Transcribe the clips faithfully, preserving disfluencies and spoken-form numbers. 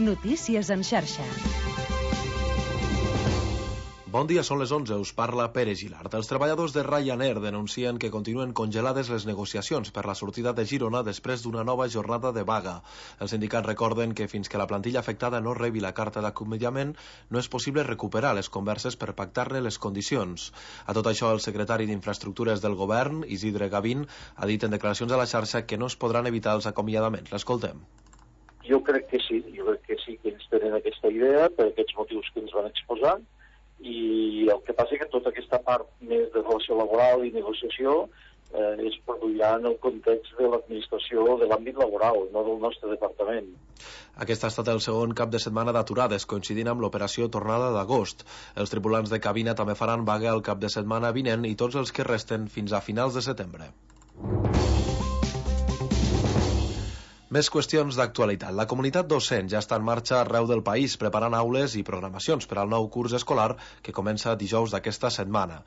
Notícies en xarxa. Bon dia, són les onze, us parla Pere Gilart. Els treballadors de Ryanair denuncien que continuen congelades les negociacions per la sortida de Girona després d'una nova jornada de vaga. Els sindicats recorden que fins que la plantilla afectada no rebi la carta d'acomiadament no és possible recuperar les converses per pactar-ne les condicions. A tot això, el secretari d'Infraestructures del govern, Isidre Gavín, ha dit en declaracions a la xarxa que no es podran evitar els acomiadaments. L'escoltem. Jo crec que sí, jo crec que sí que ells tenen aquesta idea per aquests motius que ens van exposar, i el que passa és que tota aquesta part més de relació laboral i negociació eh, es produirà en el context de l'administració de l'àmbit laboral, no del nostre departament. Aquest ha estat el segon cap de setmana d'aturades, coincidint amb l'operació tornada d'agost. Els tripulants de cabina també faran vaga el cap de setmana vinent i tots els que resten fins a finals de setembre. Més qüestions d'actualitat. La comunitat docent ja està en marxa arreu del país preparant aules i programacions per al nou curs escolar que comença dijous d'aquesta setmana.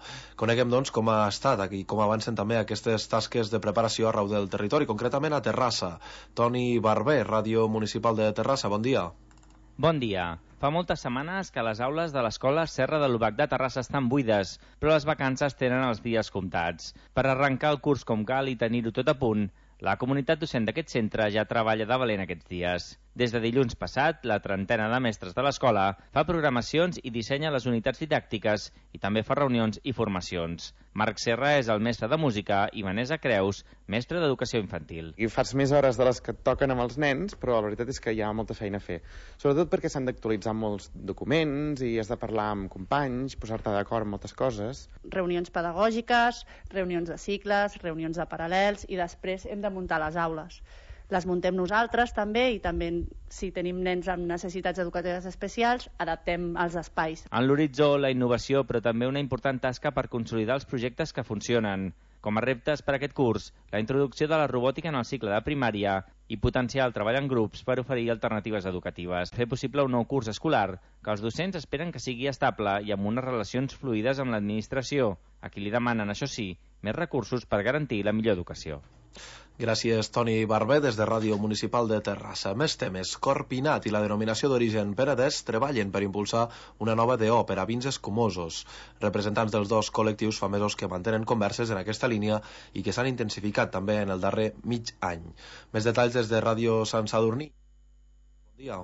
Coneguem, doncs, com ha estat i com avancen també aquestes tasques de preparació arreu del territori, concretament a Terrassa. Toni Barber, Ràdio Municipal de Terrassa, bon dia. Bon dia. Fa moltes setmanes que les aules de l'Escola Serra de l'Ubac de Terrassa estan buides, però les vacances tenen els dies comptats. Per arrencar el curs com cal i tenir-ho tot a punt, la comunitat docent d'aquest centre ja treballa de valent aquests dies. Des de dilluns passat, la trentena de mestres de l'escola fa programacions i dissenya les unitats didàctiques i també fa reunions i formacions. Marc Serra és el mestre de música i Vanessa Creus, mestre d'educació infantil. I fas més hores de les que et toquen amb els nens, però la veritat és que hi ha molta feina a fer. Sobretot perquè s'han d'actualitzar molts documents i has de parlar amb companys, posar-te d'acord amb moltes coses. Reunions pedagògiques, reunions de cicles, reunions de paral·lels i després hem de muntar les aules. Les muntem nosaltres també i també si tenim nens amb necessitats educatives especials adaptem els espais. En l'horitzó, la innovació, però també una important tasca per consolidar els projectes que funcionen. Com a reptes per a aquest curs, la introducció de la robòtica en el cicle de primària i potenciar el treball en grups per oferir alternatives educatives. Fer possible un nou curs escolar que els docents esperen que sigui estable i amb unes relacions fluides amb l'administració, a qui li demanen, això sí, més recursos per garantir la millor educació. Gràcies, Toni Barber, des de Ràdio Municipal de Terrassa. Més temes. Corpinat i la denominació d'origen Penedès treballen per impulsar una nova D O per a vins escumosos. Representants dels dos col·lectius fa mesos que mantenen converses en aquesta línia i que s'han intensificat també en el darrer mig any. Més detalls des de Ràdio Sant Sadurní. Bon dia.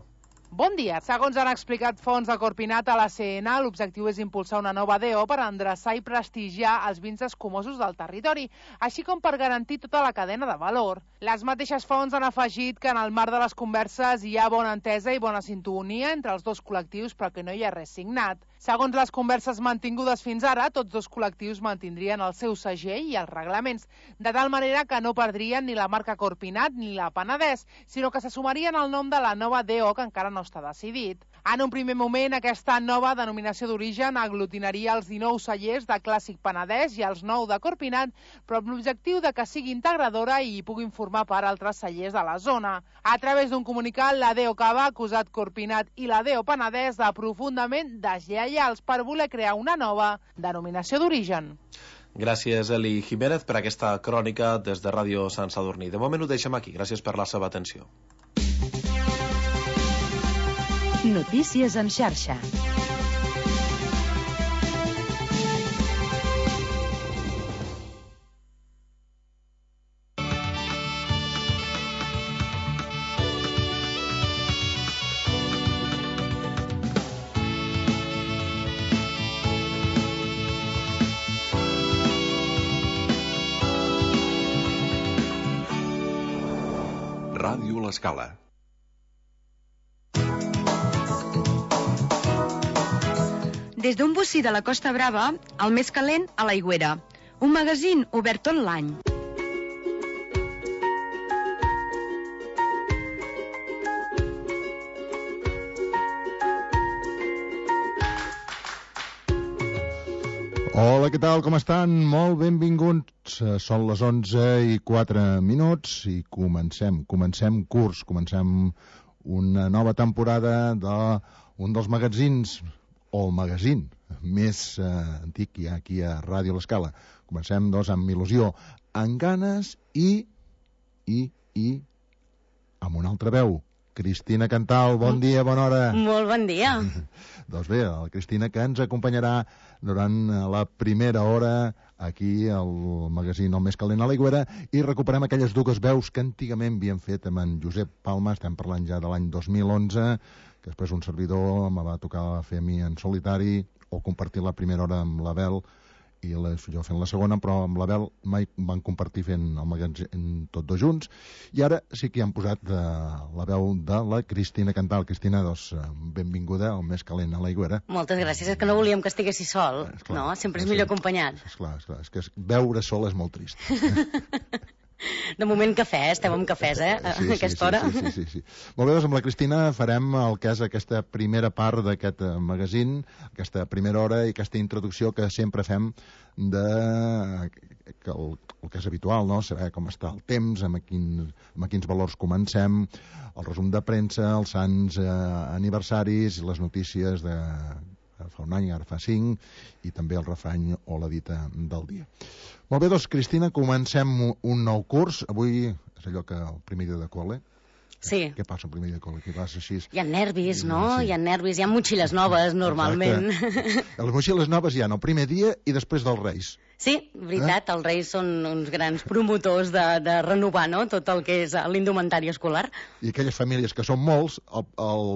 Bon dia. Segons han explicat fonts de Corpinat a la C N, l'objectiu és impulsar una nova D O per endreçar i prestigiar els vins escumosos del territori, així com per garantir tota la cadena de valor. Les mateixes fonts han afegit que en el marc de les converses hi ha bona entesa i bona sintonia entre els dos col·lectius, però que no hi ha res signat. Segons les converses mantingudes fins ara, tots dos col·lectius mantindrien el seu segell i els reglaments, de tal manera que no perdrien ni la marca Corpinat ni la Penedès, sinó que se sumarien al nom de la nova D O que encara no està decidit. En un primer moment, aquesta nova denominació d'origen aglutinaria els dinou cellers de Clàssic Penedès i els nou de Corpinat, però amb l'objectiu de que sigui integradora i hi puguin formar part altres cellers de la zona. A través d'un comunicat, la D O C A B ha acusat Corpinat i la D O Penedès de profundament deslleials per voler crear una nova denominació d'origen. Gràcies, Eli Jiménez, per aquesta crònica des de Ràdio Sant Sadurní. De moment ho deixem aquí. Gràcies per la seva atenció. Notícies en xarxa. Ràdio L'Escala. Des d'un bocí de la Costa Brava, el més calent a l'Aigüera. Un magazín obert tot l'any. Hola, què tal? Com estan? Molt benvinguts. Són les onze i quatre minuts i comencem, comencem curs, comencem una nova temporada d'un dels magazins, o el magazín més eh, antic que hi ha aquí a Ràdio L'Escala. Comencem, doncs, amb il·lusió, amb ganes i, i, i, amb una altra veu, Cristina Cantal, bon dia, bona hora. Molt bon dia. Doncs bé, la Cristina que ens acompanyarà durant la primera hora aquí al magazín El Més Calent a l'Aigüera i recuperem aquelles dues veus que antigament havíem fet amb en Josep Palma, estem parlant ja de l'any dos mil onze, que després un servidor me va tocar fer a mi en solitari o compartir la primera hora amb l'Abel i la, jo fent la segona, però amb l'Abel mai van compartir fent el magazín tots dos junts, i ara sí que hi han posat de, la veu de la Cristina Cantal. Cristina, doncs, benvinguda al Més Calent a l'Aigüera. Moltes gràcies, és que no volíem que estiguessis sol, esclar, no? Sempre és millor acompanyat. Esclar, esclar, és que veure sol és molt trist. De moment cafè, eh? Estem amb cafès, eh? A sí, aquesta sí, hora. Sí, sí, sí, sí. Molt bé, doncs amb la Cristina farem el que és aquesta primera part d'aquest magazín, aquesta primera hora i aquesta introducció que sempre fem de que el, el que és habitual, no? Saber com està el temps, amb, quin, amb quins valors comencem, el resum de premsa, els sants eh, aniversaris, les notícies de fa un any, ara fa cinc, i també el refrany o la dita del dia. Molt bé, doncs, Cristina, comencem un nou curs. Avui és allò que el primer dia de col·le. Sí. Què passa el primer dia de col·le? Què passa així? Hi ha nervis, no? Sí. Hi ha nervis, hi ha motxilles noves, normalment. Exacte. Les motxilles noves hi ha el primer dia i després dels Reis. Sí, veritat, eh? Els Reis són uns grans promotors de, de renovar, no?, tot el que és l'indumentari escolar. I aquelles famílies que són molts el, el,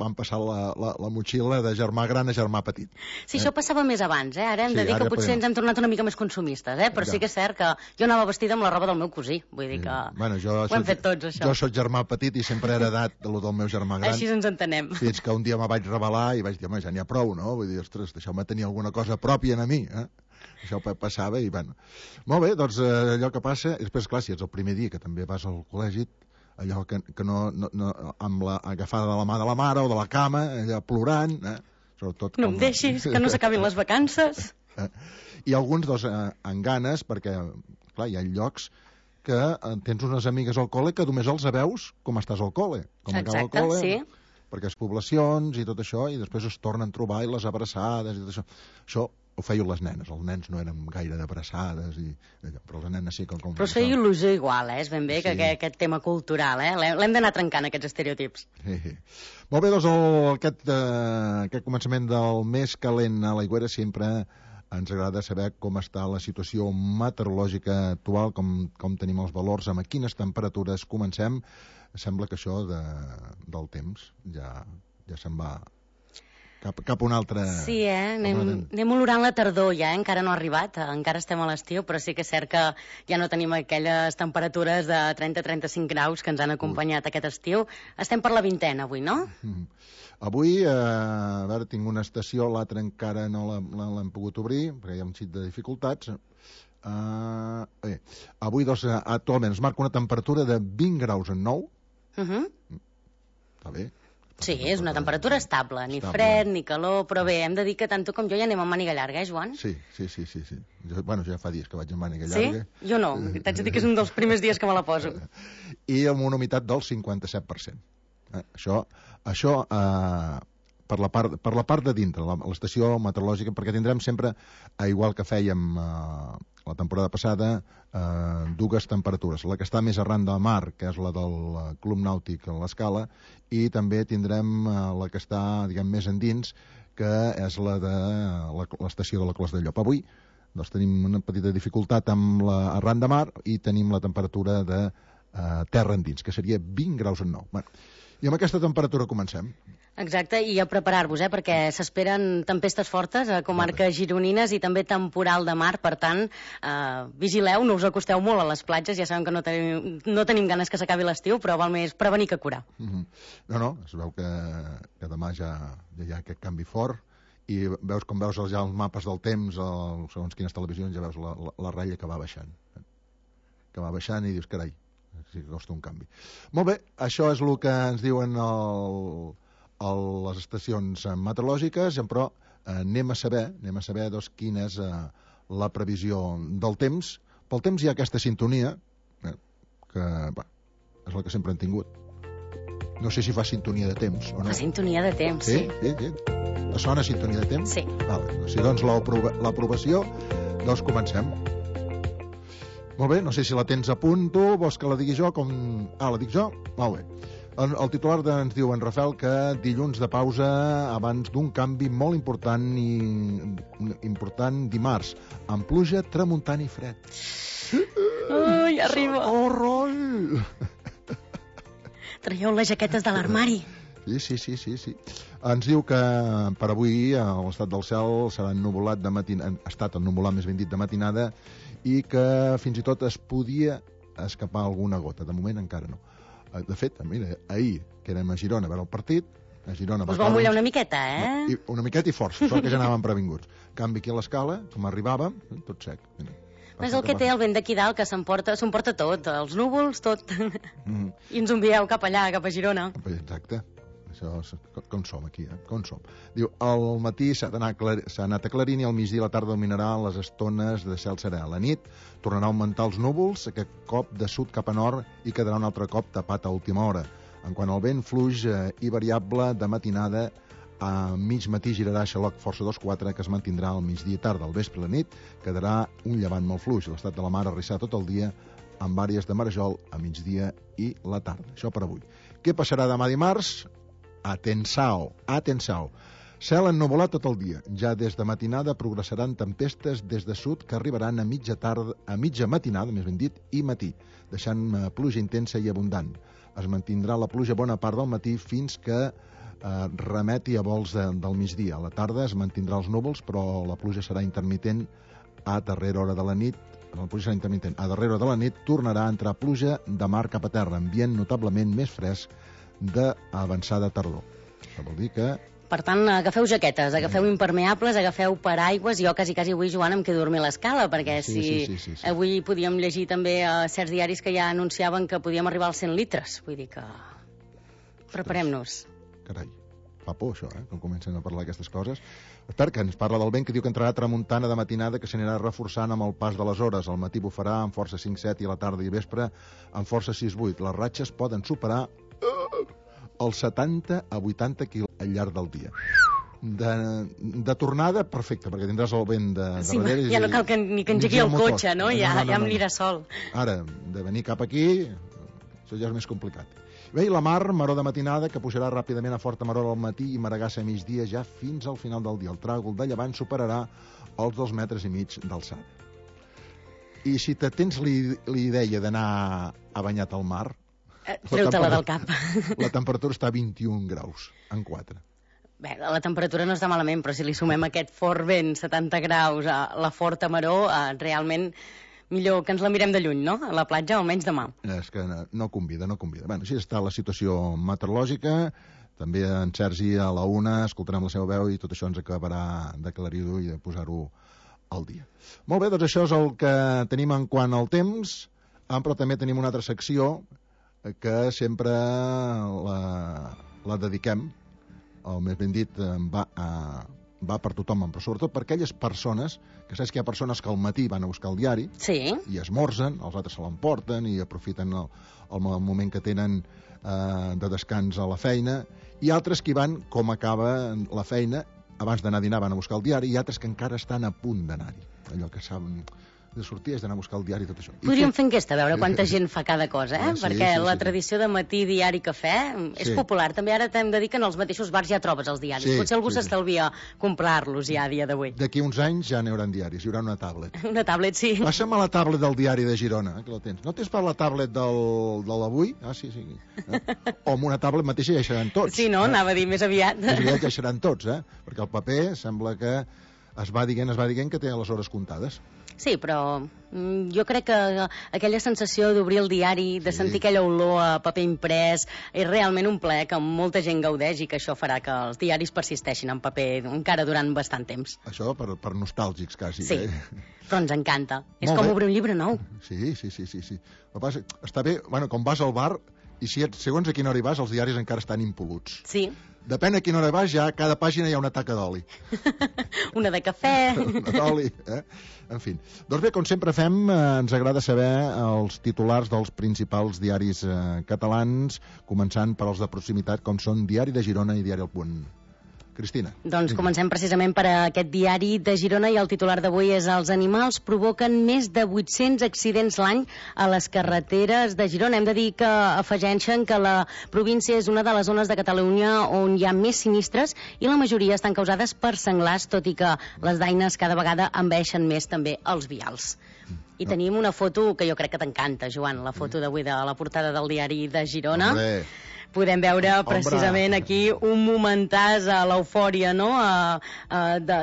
van passar la, la, la motxilla de germà gran a germà petit. Sí, eh? Això passava més abans, eh? Ara hem sí, de dir que potser podem... ens hem tornat una mica més consumistes, eh? Però ja. Sí que és cert que jo anava vestida amb la roba del meu cosí, vull dir que sí. Bueno, jo ho hem soc, fet tots, això. Jo soc germà petit i sempre he heredat de lo del meu germà gran. Així ens entenem. Fins que un dia me vaig revelar i vaig dir, home, ja n'hi ha prou, no? Vull dir, ostres, deixeu-me tenir alguna cosa pròpia a mi, eh? Això passava i, bueno... Molt bé, doncs eh, allò que passa... Després, clar, si ets el primer dia que també vas al col·legi, allò que, que no, no, no... amb la agafada de la mà de la mare o de la cama, allà plorant... Eh? Sobretot no com... em deixis, que no s'acabin les vacances. Eh? I alguns, doncs, eh, amb ganes, perquè, clar, hi ha llocs que eh, tens unes amigues al col·le que només els veus com estàs al col·le. Com exacte, acaba el col·le, sí. Perquè és poblacions i tot això, i després es tornen a trobar i les abraçades i tot això. Això ho feien les nenes, els nens no eren gaire d'abraçades, i, però les nenes sí que... Com però es feia il·lusió igual, eh? És ben bé que sí. aquest, aquest tema cultural, eh? L'hem d'anar trencant, aquests estereotips. Sí, sí. Molt bé, doncs el, aquest, eh, aquest començament del Més Calent a l'Aigüera sempre ens agrada saber com està la situació meteorològica actual, com, com tenim els valors, amb quines temperatures comencem. Sembla que això de, del temps ja, ja se'n va... Cap, cap un altre... Sí, eh? Anem, anem olorant la tardor ja, eh? Encara no ha arribat, encara estem a l'estiu, però sí que és cert que ja no tenim aquelles temperatures de trenta a trenta-cinc graus que ens han acompanyat Ui. Aquest estiu. Estem per la vintena avui, no? Mm. Avui, eh, a veure, tinc una estació, l'altra encara no l'hem pogut obrir, perquè hi ha un xic de dificultats. Uh, bé, avui, doncs, actualment es marca una temperatura de vint graus en nou. Uh -huh. Està bé. Sí, és una temperatura estable, ni estable. Fred, ni calor, però bé, hem de dir que tant tu com jo ja anem amb màniga llarga, eh, Joan? Sí, sí, sí, sí. sí. Jo, bueno, ja fa dies que vaig amb màniga sí? llarga. Sí? Jo no, t'haig de dir que és un dels primers dies que me la poso. I amb una humitat del cinquanta-set per cent. Eh, això, això eh, per, la part, per la part de dintre, l'estació meteorològica, perquè tindrem sempre, igual que fèiem eh, la temporada passada, eh, dues temperatures. La que està més arran de la mar, que és la del Club Nàutic a l'Escala, i també tindrem eh, la que està, diguem, més endins, que és la de l'estació de la Clos de Llop. Avui doncs, tenim una petita dificultat amb la arran de mar i tenim la temperatura de eh, terra endins, que seria vint graus en nou. Bueno, i amb aquesta temperatura comencem. Exacte, i a preparar-vos, eh, perquè s'esperen tempestes fortes a comarques gironines i també temporal de mar, per tant, eh, vigileu, no us acosteu molt a les platges, ja sabem que no tenim, no tenim ganes que s'acabi l'estiu, però val més prevenir que curar. Mm-hmm. No, no, es veu que, que demà ja, ja hi ha aquest canvi fort, i veus com veus ja els mapes del temps, el, segons quines televisions, ja veus la, la, la ratlla que va baixant. Que va baixant i dius, carai, sí que costa un canvi. Molt bé, això és el que ens diuen el... a les estacions meteorològiques, però eh, anem a saber, anem a saber doncs, quina és eh, la previsió del temps. Pel temps hi ha aquesta sintonia, eh, que bah, és la que sempre han tingut. No sé si fa sintonia de temps o no. Fa sintonia de temps, sí. Sí, sí, sí. Sona sintonia de temps? Sí. Vale. Si doncs l'aprovació, doncs comencem. Molt bé, no sé si la tens a punt tu, vols que la digui jo com... Ah, la dic jo? Molt bé. El, el titular de, ens diu en Rafael que dilluns de pausa abans d'un canvi molt important i important dimarts, amb pluja, tramuntant i fred. Ui, arriba. Horror! Traieu les jaquetes de l'armari. Sí, sí, sí, sí, sí. Ens diu que per avui l'estat del cel serà ennuvolat de matinada, ha estat ennuvolat més ben dit de matinada, i que fins i tot es podia escapar alguna gota. De moment encara no. De fet, mira, ahir que érem a Girona a veure el partit, a Girona... Us vau mullar una miqueta, eh? No, i una miqueta i força, sort que ja anàvem previnguts. Canvi aquí a l'escala, com arribàvem, tot sec. Mira. És el que té el vent d'aquí dalt, que s'emporta s'emporta tot, els núvols, tot. Mm. I ens envieu cap allà, cap a Girona. Exacte. Això, com som aquí, eh? Com som. Diu, al matí s'ha anat aclarint i al migdia i a la tarda dominaran les estones de cel serè. A la nit tornarà a augmentar els núvols, aquest cop de sud cap a nord, i quedarà un altre cop tapat a última hora. En quant al vent, fluix eh, i variable de matinada, a mig matí girarà xaloc força dos quatre, que es mantindrà al migdia i tarda. Al vespre i la nit quedarà un llevant molt fluix. L'estat de la mar arrissarà tot el dia amb àrees de marejol a migdia i la tarda. Això per avui. Què passarà demà dimarts? Atenção, atenção. Cel ennuvolat tot el dia. Ja des de matinada progressaran tempestes des de sud que arribaran a mitja tarda, a mitja matinada, més ben dit, i matí, deixant pluja intensa i abundant. Es mantindrà la pluja bona part del matí fins que eh, remeti a vols de, del migdia. A la tarda es mantindrà els núvols, però la pluja serà intermitent a darrera hora de la nit. La pluja serà intermitent. A darrera hora de la nit tornarà a entrar pluja de mar cap a terra, ambient notablement més fresc d'avançada tardor. Això vol dir que... Per tant, agafeu jaquetes, agafeu impermeables, agafeu paraigües. Jo quasi, quasi avui, Joan, em quedo a dormir a l'escala, perquè sí, si sí, sí, sí, sí. avui podíem llegir també a certs diaris que ja anunciaven que podíem arribar als cent litres. Vull dir que... Preparem-nos. Carai, fa por això, eh, quan comencen a parlar d'aquestes coses. Espera, que ens parla del vent, que diu que entrarà tramuntana de matinada, que s'anirà reforçant amb el pas de les hores. Al matí bufarà amb força cinc set i a la tarda i vespre amb força sis vuit. Les ratxes poden superar els setanta a vuitanta quilòmetres al llarg del dia. De, de tornada, perfecte, perquè tindràs el vent de, de sí, darrere. Ja no cal que, ni que engegui el, el cotxe, no? Ja, no, no, no, ja em anirà sol. Ara, de venir cap aquí, això ja és més complicat. Bé, i la mar, maró de matinada, que pujarà ràpidament a forta maror al matí i maragassa a migdia ja fins al final del dia. El tràgol de llevant superarà els dos metres i mig d'alçada. I si te tens la idea d'anar a banyat al mar... Treu-te-la del cap. La temperatura està a vint-i-un graus, en quatre. Bé, la temperatura no està malament, però si li sumem aquest fort vent, setanta graus, a la forta maror, eh, realment millor que ens la mirem de lluny, no? A la platja, almenys demà. És que no, no convida, no convida. Bé, així està la situació meteorològica. També en Sergi a la una escoltarem la seva veu i tot això ens acabarà d'aclarir-ho i de posar-ho al dia. Molt bé, doncs això és el que tenim en quant al temps, però també tenim una altra secció que sempre la, la dediquem, o més ben dit, va, a, va per tothom, però sobretot per aquelles persones, que saps que hi ha persones que al matí van a buscar el diari sí. i esmorzen, els altres se l'emporten i aprofiten el, el moment que tenen eh, de descans a la feina, i altres que van, com acaba la feina, abans d'anar a dinar van a buscar el diari, i altres que encara estan a punt d'anar-hi, allò que saben... de sortir és d'anar a buscar el diari i tot això. Podríem fer enquesta, a veure quanta gent fa cada cosa, eh? Sí, perquè sí, la sí. tradició de matí, diari, cafè és sí. popular. També ara t'hem de dir que en els mateixos bars ja trobes els diaris. Sí, Potser algú sí, s'estalvia sí. comprar-los ja a dia d'avui. D'aquí uns anys ja n'hi haurà diaris, hi haurà una tablet. Una tablet, sí. Passa'm a la tablet del diari de Girona, eh, que la tens. No tens per la tablet del, de l'avui? Ah, sí, sí. Eh? O amb una tablet mateixa ja hi seran tots. Sí, no? Eh? Anava a dir més aviat. Més aviat ja seran tots, eh? Perquè el paper sembla que es va dient, es va dient que té les hores comptades. Sí, però jo crec que aquella sensació d'obrir el diari, de sentir sí. aquella olor a paper imprès, és realment un plaer que molta gent gaudeix i que això farà que els diaris persisteixin en paper encara durant bastant temps. Això per, per nostàlgics, quasi. Sí, eh? però ens encanta. Molt és com bé. obrir un llibre nou. Sí, sí, sí, sí. sí. Passa, està bé, bueno, com vas al bar, i si et, segons a quina hora hi vas, els diaris encara estan impol·luts. Sí. Depèn a quina hora vas, ja a cada pàgina hi ha una taca d'oli. Una de cafè. Una d'oli, eh? En fi. Doncs bé, com sempre fem, eh, ens agrada saber els titulars dels principals diaris eh, catalans, començant per els de proximitat, com són Diari de Girona i Diari El Punt. Cristina. Doncs comencem precisament per aquest diari de Girona i el titular d'avui és: els animals provoquen més de vuit-cents accidents l'any a les carreteres de Girona. Hem de dir que afegeixen que la província és una de les zones de Catalunya on hi ha més sinistres i la majoria estan causades per senglars, tot i que les daines cada vegada envaeixen més també els vials. I no. tenim una foto que jo crec que t'encanta, Joan, la foto d'avui de la portada del diari de Girona. Hombre. Podem veure precisament aquí un momentàs a l'eufòria, no?,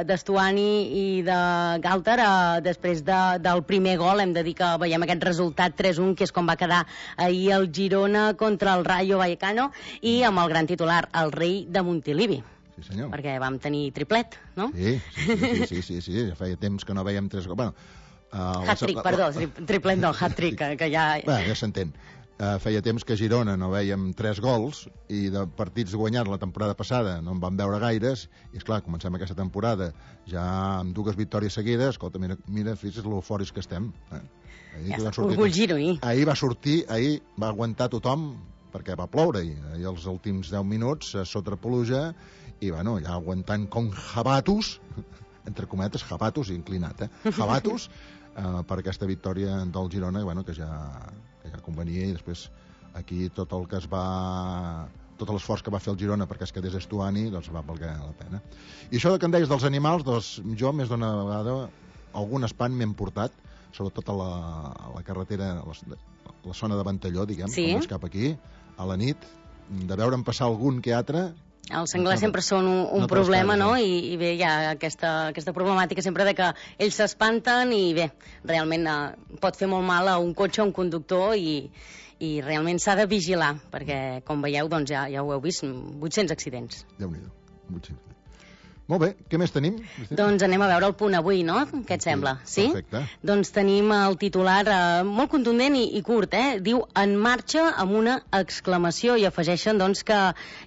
d'Estuani i de Galter després de, del primer gol. Hem de dir que veiem aquest resultat tres un, que és com va quedar ahir el Girona contra el Rayo Vallecano, i amb el gran titular, el rei de Montilivi. Sí, senyor. Perquè vam tenir triplet, no? Sí, sí, sí, sí, sí, sí, sí. Ja feia temps que no veiem tres gols. Bueno, uh, hat-trick, la... perdó, triplet no, hat-trick, que, que ja... Bé, ja s'entén. Uh, feia temps que a Girona no veiem tres gols i de partits guanyats la temporada passada no en vam veure gaires, i esclar, comencem aquesta temporada ja amb dues victòries seguides. Escolta, mira, mira fixa't l'eufòrics que estem. Eh? Ahir, ja està, orgull gironí. Ahir va sortir, ahir va aguantar tothom perquè va ploure, i ahir els últims deu minuts sota pluja, i bueno, ja aguantant com jabatos, entre cometes, jabatos, inclinat, eh? Jabatos, eh, per aquesta victòria del Girona, bueno, que ja... que ja convenia, i després aquí tot el que es va... tot l'esforç que va fer el Girona perquè es quedés Estuani, doncs va valer la pena. I això que em deies dels animals, doncs jo més d'una vegada algun espant m'hem portat, sobretot a la, a la carretera, a la, a la zona de Ventalló, diguem, sí? Com és cap aquí, a la nit, de veure'm passar algun que altre. Els senglars no, sempre són un, un no problema, no? I, I bé, hi ha aquesta, aquesta problemàtica sempre de que ells s'espanten i bé, realment eh, pot fer molt mal a un cotxe, a un conductor, i, i realment s'ha de vigilar, perquè com veieu, doncs ja, ja ho heu vist, vuit-cents accidents. Déu-n'hi-do, vuit-cents. Molt bé, què més tenim? Doncs anem a veure el punt avui, no? Què et sembla? Sí? Perfecte. Doncs tenim el titular eh, molt contundent i, i curt, eh? Diu, en marxa, amb una exclamació, i afegeixen doncs que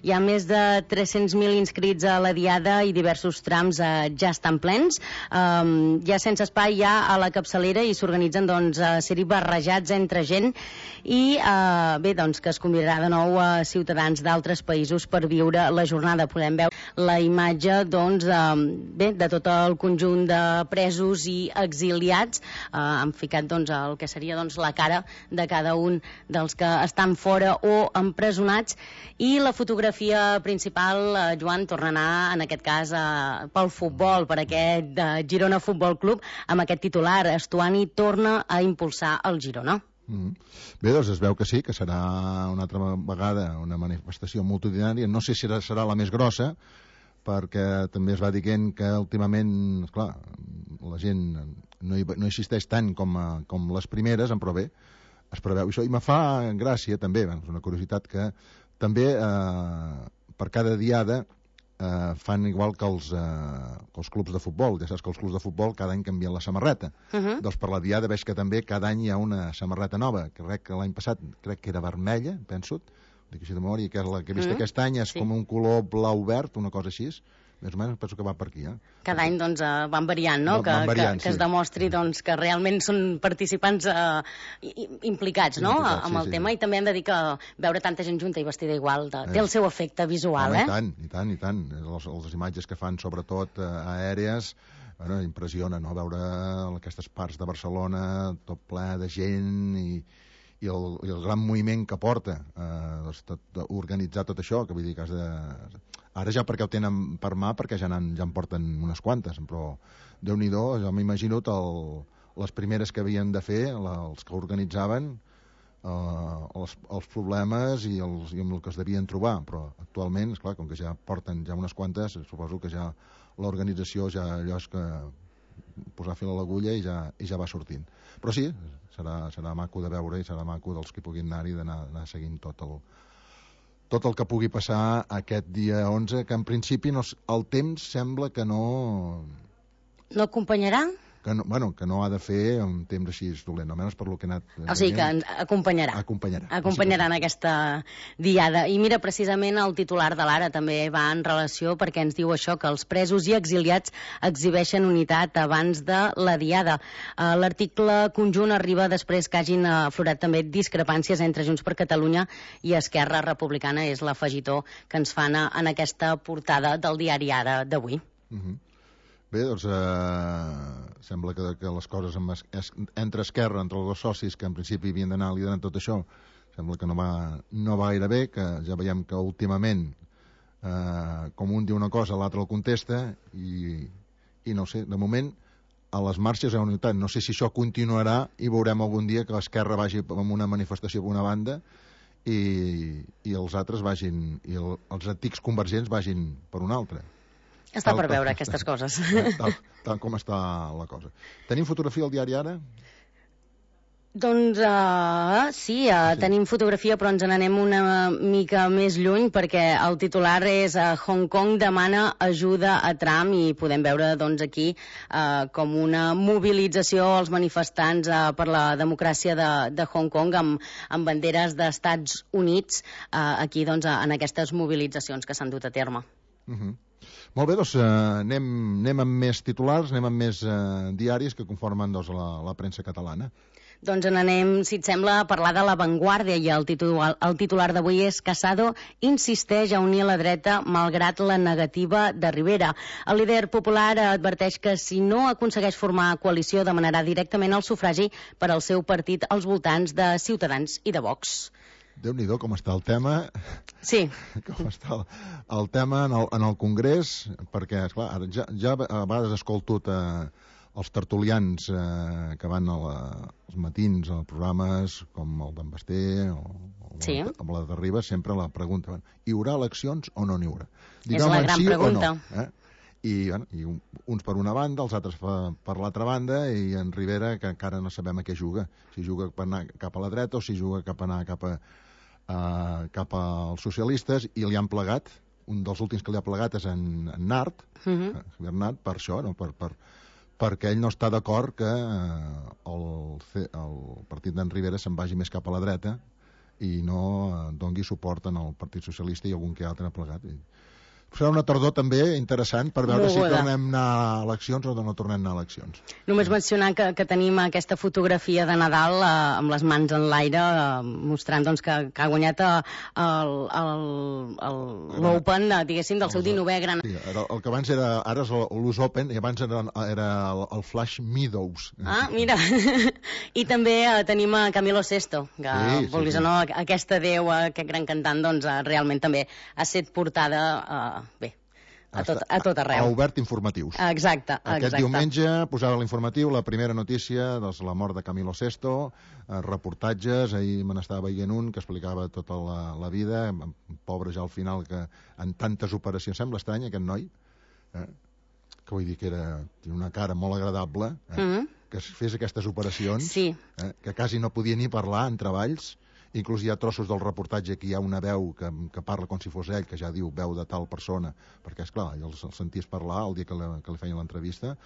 hi ha més de tres-cents mil inscrits a la diada i diversos trams eh, ja estan plens. Um, ja sense espai ja a la capçalera, i s'organitzen doncs a ser-hi barrejats entre gent, i eh, bé, doncs que es convidarà de nou a ciutadans d'altres països per viure la jornada. Podem veure la imatge, doncs, doncs, eh, bé, de tot el conjunt de presos i exiliats. Eh, han ficat doncs, el que seria doncs, la cara de cada un dels que estan fora o empresonats, i la fotografia principal, eh, Joan, torna a anar, en aquest cas, eh, pel futbol, per aquest eh, Girona Futbol Club, amb aquest titular: Estuani torna a impulsar el Girona. Mm. Bé, doncs es veu que sí, que serà una altra vegada una manifestació multitudinària. No sé si serà, serà la més grossa, perquè també es va dient que últimament, esclar, la gent no hi, no existeix tant com, com les primeres, però bé, es preveu això, i me fa gràcia també, és una curiositat, que també eh, per cada diada eh, fan igual que els, eh, que els clubs de futbol. Ja saps que els clubs de futbol cada any canvien la samarreta. Uh-huh. Doncs per la diada veig que també cada any hi ha una samarreta nova. Crec que l'any passat crec que era vermella, penso, dic així de memòria, que la que he vist mm, aquest any és sí. com un color blau verd, una cosa així. Més o menys penso que va per aquí. Eh? Cada any doncs, uh, van variant, no? Van, van variant, que, que, que sí. es demostri doncs, que realment són participants uh, implicats, no? Implicats, amb el sí, tema, sí. I també hem de dir que veure tanta gent junta i vestida igual de, eh. té el seu efecte visual. Home, eh? I tant, i tant, i tant. Les, les imatges que fan, sobretot uh, aèries, bueno, impressiona, no? Veure aquestes parts de Barcelona tot ple de gent i i el, i el gran moviment que porta eh, doncs tot, organitzar tot això, que vull dir que has de... Ara ja perquè ho tenen per mà, perquè ja, ja en porten unes quantes, però Déu-n'hi-do, jo m'imagino el, les primeres que havien de fer, la, els que organitzaven, eh, els, els problemes i, els, i amb el que es devien trobar, però actualment, esclar, com que ja porten ja unes quantes, suposo que ja l'organització ja allò és que posar fil a l'agulla i, ja, i ja va sortint. Però sí, serà, serà maco de veure i serà maco dels que puguin anar-hi d'anar seguint tot el, tot el que pugui passar aquest dia onze, que en principi no, el temps sembla que no... No acompanyarà? que no, bueno, que no ha de fer un temps així dolent, almenys per lo que ha anat... O sigui, que ens acompanyarà. Acompanyarà. Acompanyarà en aquesta diada. I mira, precisament el titular de l'Ara també va en relació perquè ens diu això, que els presos i exiliats exhibeixen unitat abans de la diada. Uh, L'article conjunt arriba després que hagin aflorat també discrepàncies entre Junts per Catalunya i Esquerra Republicana. És l'afegitó que ens fan en aquesta portada del diari Ara d'avui. Uh-huh. Bé, doncs eh, sembla que, que les coses amb es, es, entre Esquerra, entre els dos socis que en principi havien d'anar liderant tot això, sembla que no va, no va gaire bé, que ja veiem que últimament eh, com un diu una cosa l'altre el contesta i, i no sé, de moment a les marxes hi ha unitat. No sé si això continuarà i veurem algun dia que l'Esquerra vagi amb una manifestació per una banda i, i els altres vagin, i el, els antics convergents vagin per una altra. Està per veure aquestes coses. Tal, tal com està la cosa. Tenim fotografia al diari Ara? Doncs uh, sí, uh, sí, tenim fotografia, però ens n'anem una mica més lluny perquè el titular és uh, Hong Kong demana ajuda a Trump i podem veure doncs, aquí uh, com una mobilització als manifestants uh, per la democràcia de, de Hong Kong amb, amb banderes d'Estats Units uh, aquí doncs, en aquestes mobilitzacions que s'han dut a terme. Uh-huh. Molt bé, doncs eh, anem, anem amb més titulars, anem amb més eh, diaris que conformen doncs, la, la premsa catalana. Doncs n'anem, si et sembla, a parlar de La Vanguardia i el titular, el titular d'avui és Casado insisteix a unir la dreta malgrat la negativa de Rivera. El líder popular adverteix que si no aconsegueix formar coalició demanarà directament el sufragi per al seu partit als voltants de Ciutadans i de Vox. Déu-n'hi-do com està el tema. Sí. Com està el, el tema en el, en el Congrés, perquè, esclar, ara ja, ja a vegades escolto eh, els tertulians eh, que van a la, als matins, a programes com el d'en Basté o, o sí. amb la de Ribas, sempre la pregunta, hi haurà eleccions o no n'hi haurà? És la gran sí pregunta. No, eh? I, bueno, i uns per una banda, els altres per l'altra banda, i en Rivera, que encara no sabem a què juga, si juga per anar cap a la dreta o si juga cap a anar cap a Uh, cap als socialistes, i li han plegat, un dels últims que li ha plegat és en, en Nart, uh-huh. Javier Nart, per això, no? per, per, perquè ell no està d'acord que uh, el, el partit d'en Rivera se'n vagi més cap a la dreta i no uh, dongui suport en el Partit Socialista i algun que altre ha plegat. Serà una tardor també interessant per veure si tornem a anar a eleccions o no tornem a anar a eleccions. Només mencionar que, que tenim aquesta fotografia de Nadal eh, amb les mans en l'aire eh, mostrant doncs, que, que ha guanyat l'Open, diguéssim, del seu dinovè gran... Sí, el, el que abans era, ara és l'U S Open i abans era, era el, el Flash Meadows. Ah, mira. I també eh, tenim a Camilo Sesto, que sí, vulguis sí, sí. o no, aquesta déu, aquest gran cantant, doncs eh, realment també ha set portada... Eh, bé, a tot, a tot arreu. Ha obert informatius. Exacte, exacte. Aquest diumenge posava l'informatiu la primera notícia de la mort de Camilo Sesto, eh, reportatges, ahir me n'estava veient un que explicava tota la, la vida, pobre ja al final, que en tantes operacions, sembla estrany aquest noi, eh, que vull dir que era una cara molt agradable, eh, mm-hmm. que fes aquestes operacions, sí. eh, que quasi no podia ni parlar en treballs. Inclús hi ha trossos del reportatge que hi ha una veu que, que parla com si fos ell, que ja diu veu de tal persona, perquè, esclar, els, els senties parlar el dia que, la, que li feien l'entrevista,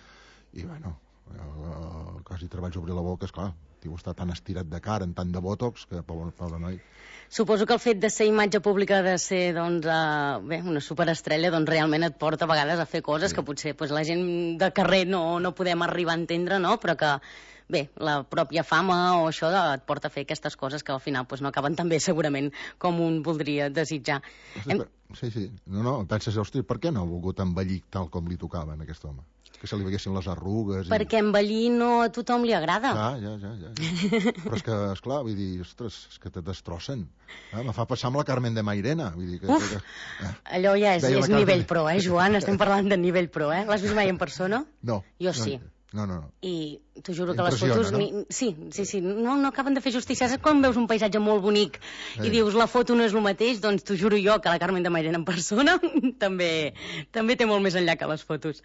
i, bueno, eh, quasi treballs obrir la boca, esclar, tio està tan estirat de cara, en tant de botox, que pobre, pobre noi. Suposo que el fet de ser imatge pública, de ser doncs, uh, bé, una superestrella, doncs realment et porta a vegades a fer coses sí. que potser pues, la gent de carrer no, no podem arribar a entendre, no? Però que bé, la pròpia fama o això et porta a fer aquestes coses que al final pues, no acaben tan bé segurament com un voldria desitjar. Sí, Hem... sí, sí. No, no, penses, hosti, per què no ha volgut envellir tal com li tocava a aquest home? Que se li veguessin les arrugues... Perquè i... envellir no a tothom li agrada. Ah, ja, ja, ja. ja. Però és que, esclar, vull dir, ostres, és que te destrossen. Ah, me fa passar amb la Carmen de Mairena. Vull dir que, Uf, que, eh. allò ja és, és nivell pro, eh, Joan? Estem parlant de nivell pro, eh? L'has vist mai en persona? No. Jo sí. No. No, no, no. I t'ho juro que les fotos... No? Ni... Sí, sí, sí, no, no acaben de fer justícia. Saps quan veus un paisatge molt bonic i dius la foto no és el mateix? Doncs t'ho juro jo que la Carmen de Mairena en persona també, també té molt més enllà que les fotos.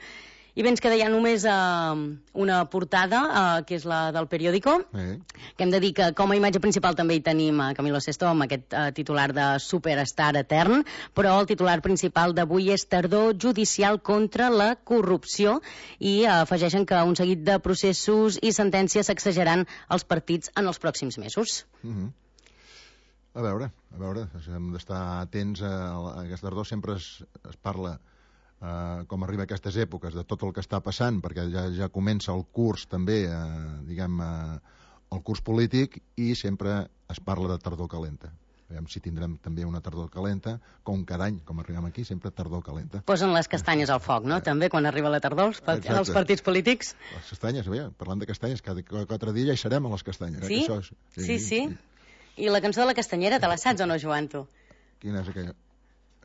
I bé, ens queda ja només uh, una portada, uh, que és la del periòdico, Eh. que hem de dir que com a imatge principal també hi tenim a Camilo Sesto amb aquest uh, titular de Superstar etern, però el titular principal d'avui és Tardor judicial contra la corrupció i uh, afegeixen que un seguit de processos i sentències sacsejaran els partits en els pròxims mesos. Mm-hmm. A veure, a veure, hem d'estar atents a, a aquesta tardor, sempre es, es parla Uh, com arriba a aquestes èpoques, de tot el que està passant, perquè ja, ja comença el curs també, uh, diguem, uh, el curs polític, i sempre es parla de tardor calenta. Veiem si tindrem també una tardor calenta, com cada any, com arribem aquí, sempre tardor calenta. Posen les castanyes al foc, no? També, quan arriba la tardor, els, part... els partits polítics. Les castanyes, veia, parlant de castanyes, cada quatre dies ja hi serem a les castanyes. Sí? Eh, que això és... sí, sí, sí. I la cançó de la castanyera, te la saps o no, Joan, tu? Quina és aquella?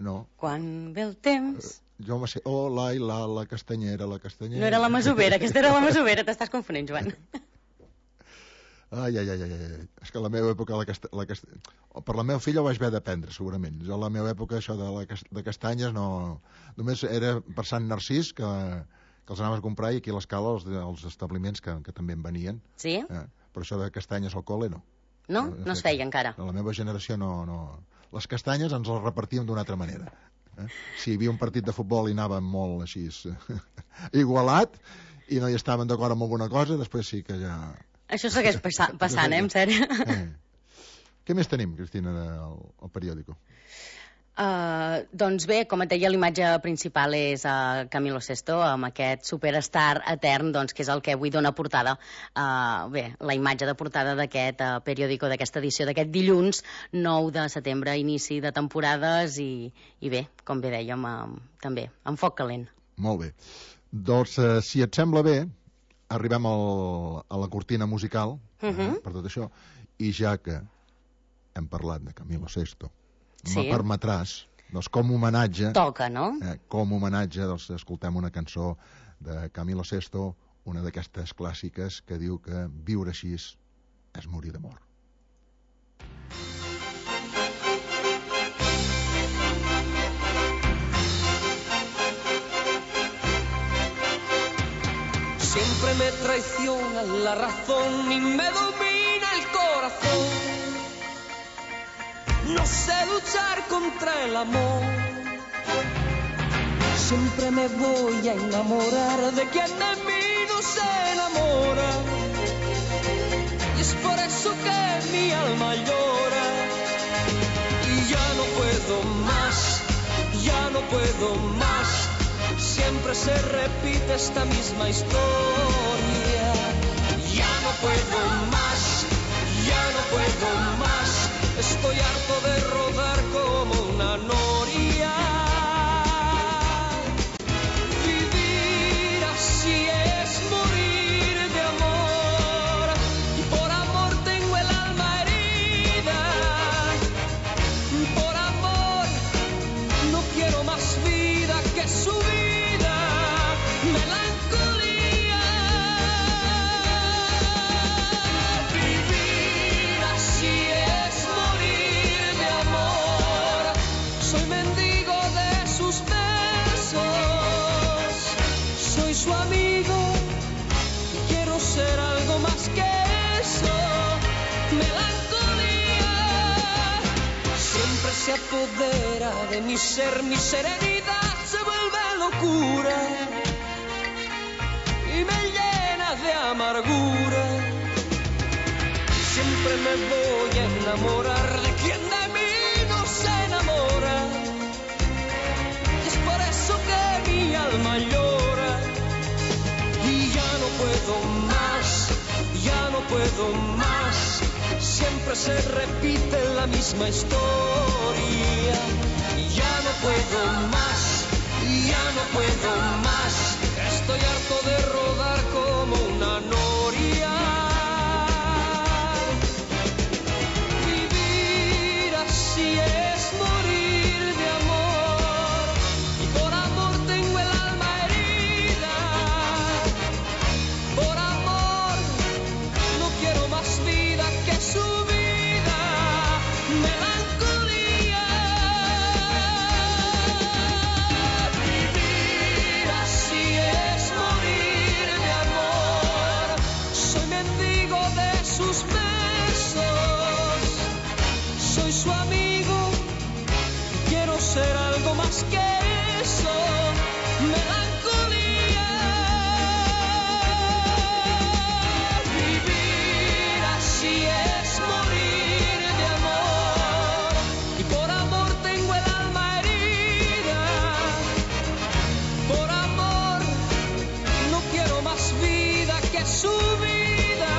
No. Quan ve el temps... Jo me sé, oh, la, i la, la castanyera, la castanyera... No era la masovera, aquesta era la masovera, t'estàs confonent, Joan. Ai, ai, ai, ai, és que a la meva època, la casta... la cast... per la meva filla ho vaig haver d'aprendre, segurament. Jo a la meva època això de, la cast... de castanyes no... Només era per Sant Narcís que, que els anaves a comprar i aquí a l'escala els, els establiments que, que també en venien. Sí? Eh? Per això de castanyes al col·le no. No? No, no es feia encara. A la meva generació no, no... Les castanyes ens les repartíem d'una altra manera. Eh? Si hi havia un partit de futbol i anàvem molt així igualat i no hi estaven d'acord amb alguna cosa, després sí que ja... Això segueix passa passant, eh, en sèrio. Eh. Què més tenim, Cristina, al, al periòdico? Uh, doncs bé, com et deia, l'imatge principal és uh, Camilo Sesto amb aquest superstar etern, doncs, que és el que avui dona portada, uh, bé, la imatge de portada d'aquest uh, periòdico, d'aquesta edició d'aquest dilluns nou de setembre, inici de temporades i, i bé, com bé dèiem, uh, també, amb foc calent. Molt bé. Doncs, uh, si et sembla bé, arribem al, a la cortina musical, uh -huh. eh, per tot això, i ja que hem parlat de Camilo Sesto, sí. Me permetràs, doncs com homenatge... Toca, no? Eh, com homenatge, doncs escoltem una cançó de Camilo Sesto, una d'aquestes clàssiques que diu que viure així és morir d'amor. Siempre me traiciona la razón y me domina el corazón. No sé luchar contra el amor. Siempre me voy a enamorar de quien de mí no se enamora. Y es por eso que mi alma llora. Y ya no puedo más, ya no puedo más. Siempre se repite esta misma historia. Ya no puedo más, ya no puedo más. Estoy harto de rodar como una noria. Vivir así es morir de amor. Y por amor tengo el alma herida. Por amor no quiero más vida que su vida. Melancolía. Vivir así es morir de amor. Soy mendigo de sus besos. Soy su amigo y quiero ser algo más que eso. Melancolía. Siempre se apodera de mi ser, mi serenidad se vuelve locura y me llena de amargura. Siempre me voy a enamorar de quien de mí no se enamora. Y es por eso que mi alma llora. Y ya no puedo más, ya no puedo más. Siempre se repite la misma historia. Y ya no puedo más, ya no puedo más. Estoy harto de rodar como una noria. Vivir así es morir de amor. Y por amor tengo el alma herida. Por amor no quiero más vida que su vida. Melancolía. Vivir así es morir. más que eso, melancolía. Vivir así es morir de amor, y por amor tengo el alma herida. Por amor no quiero más vida que su vida,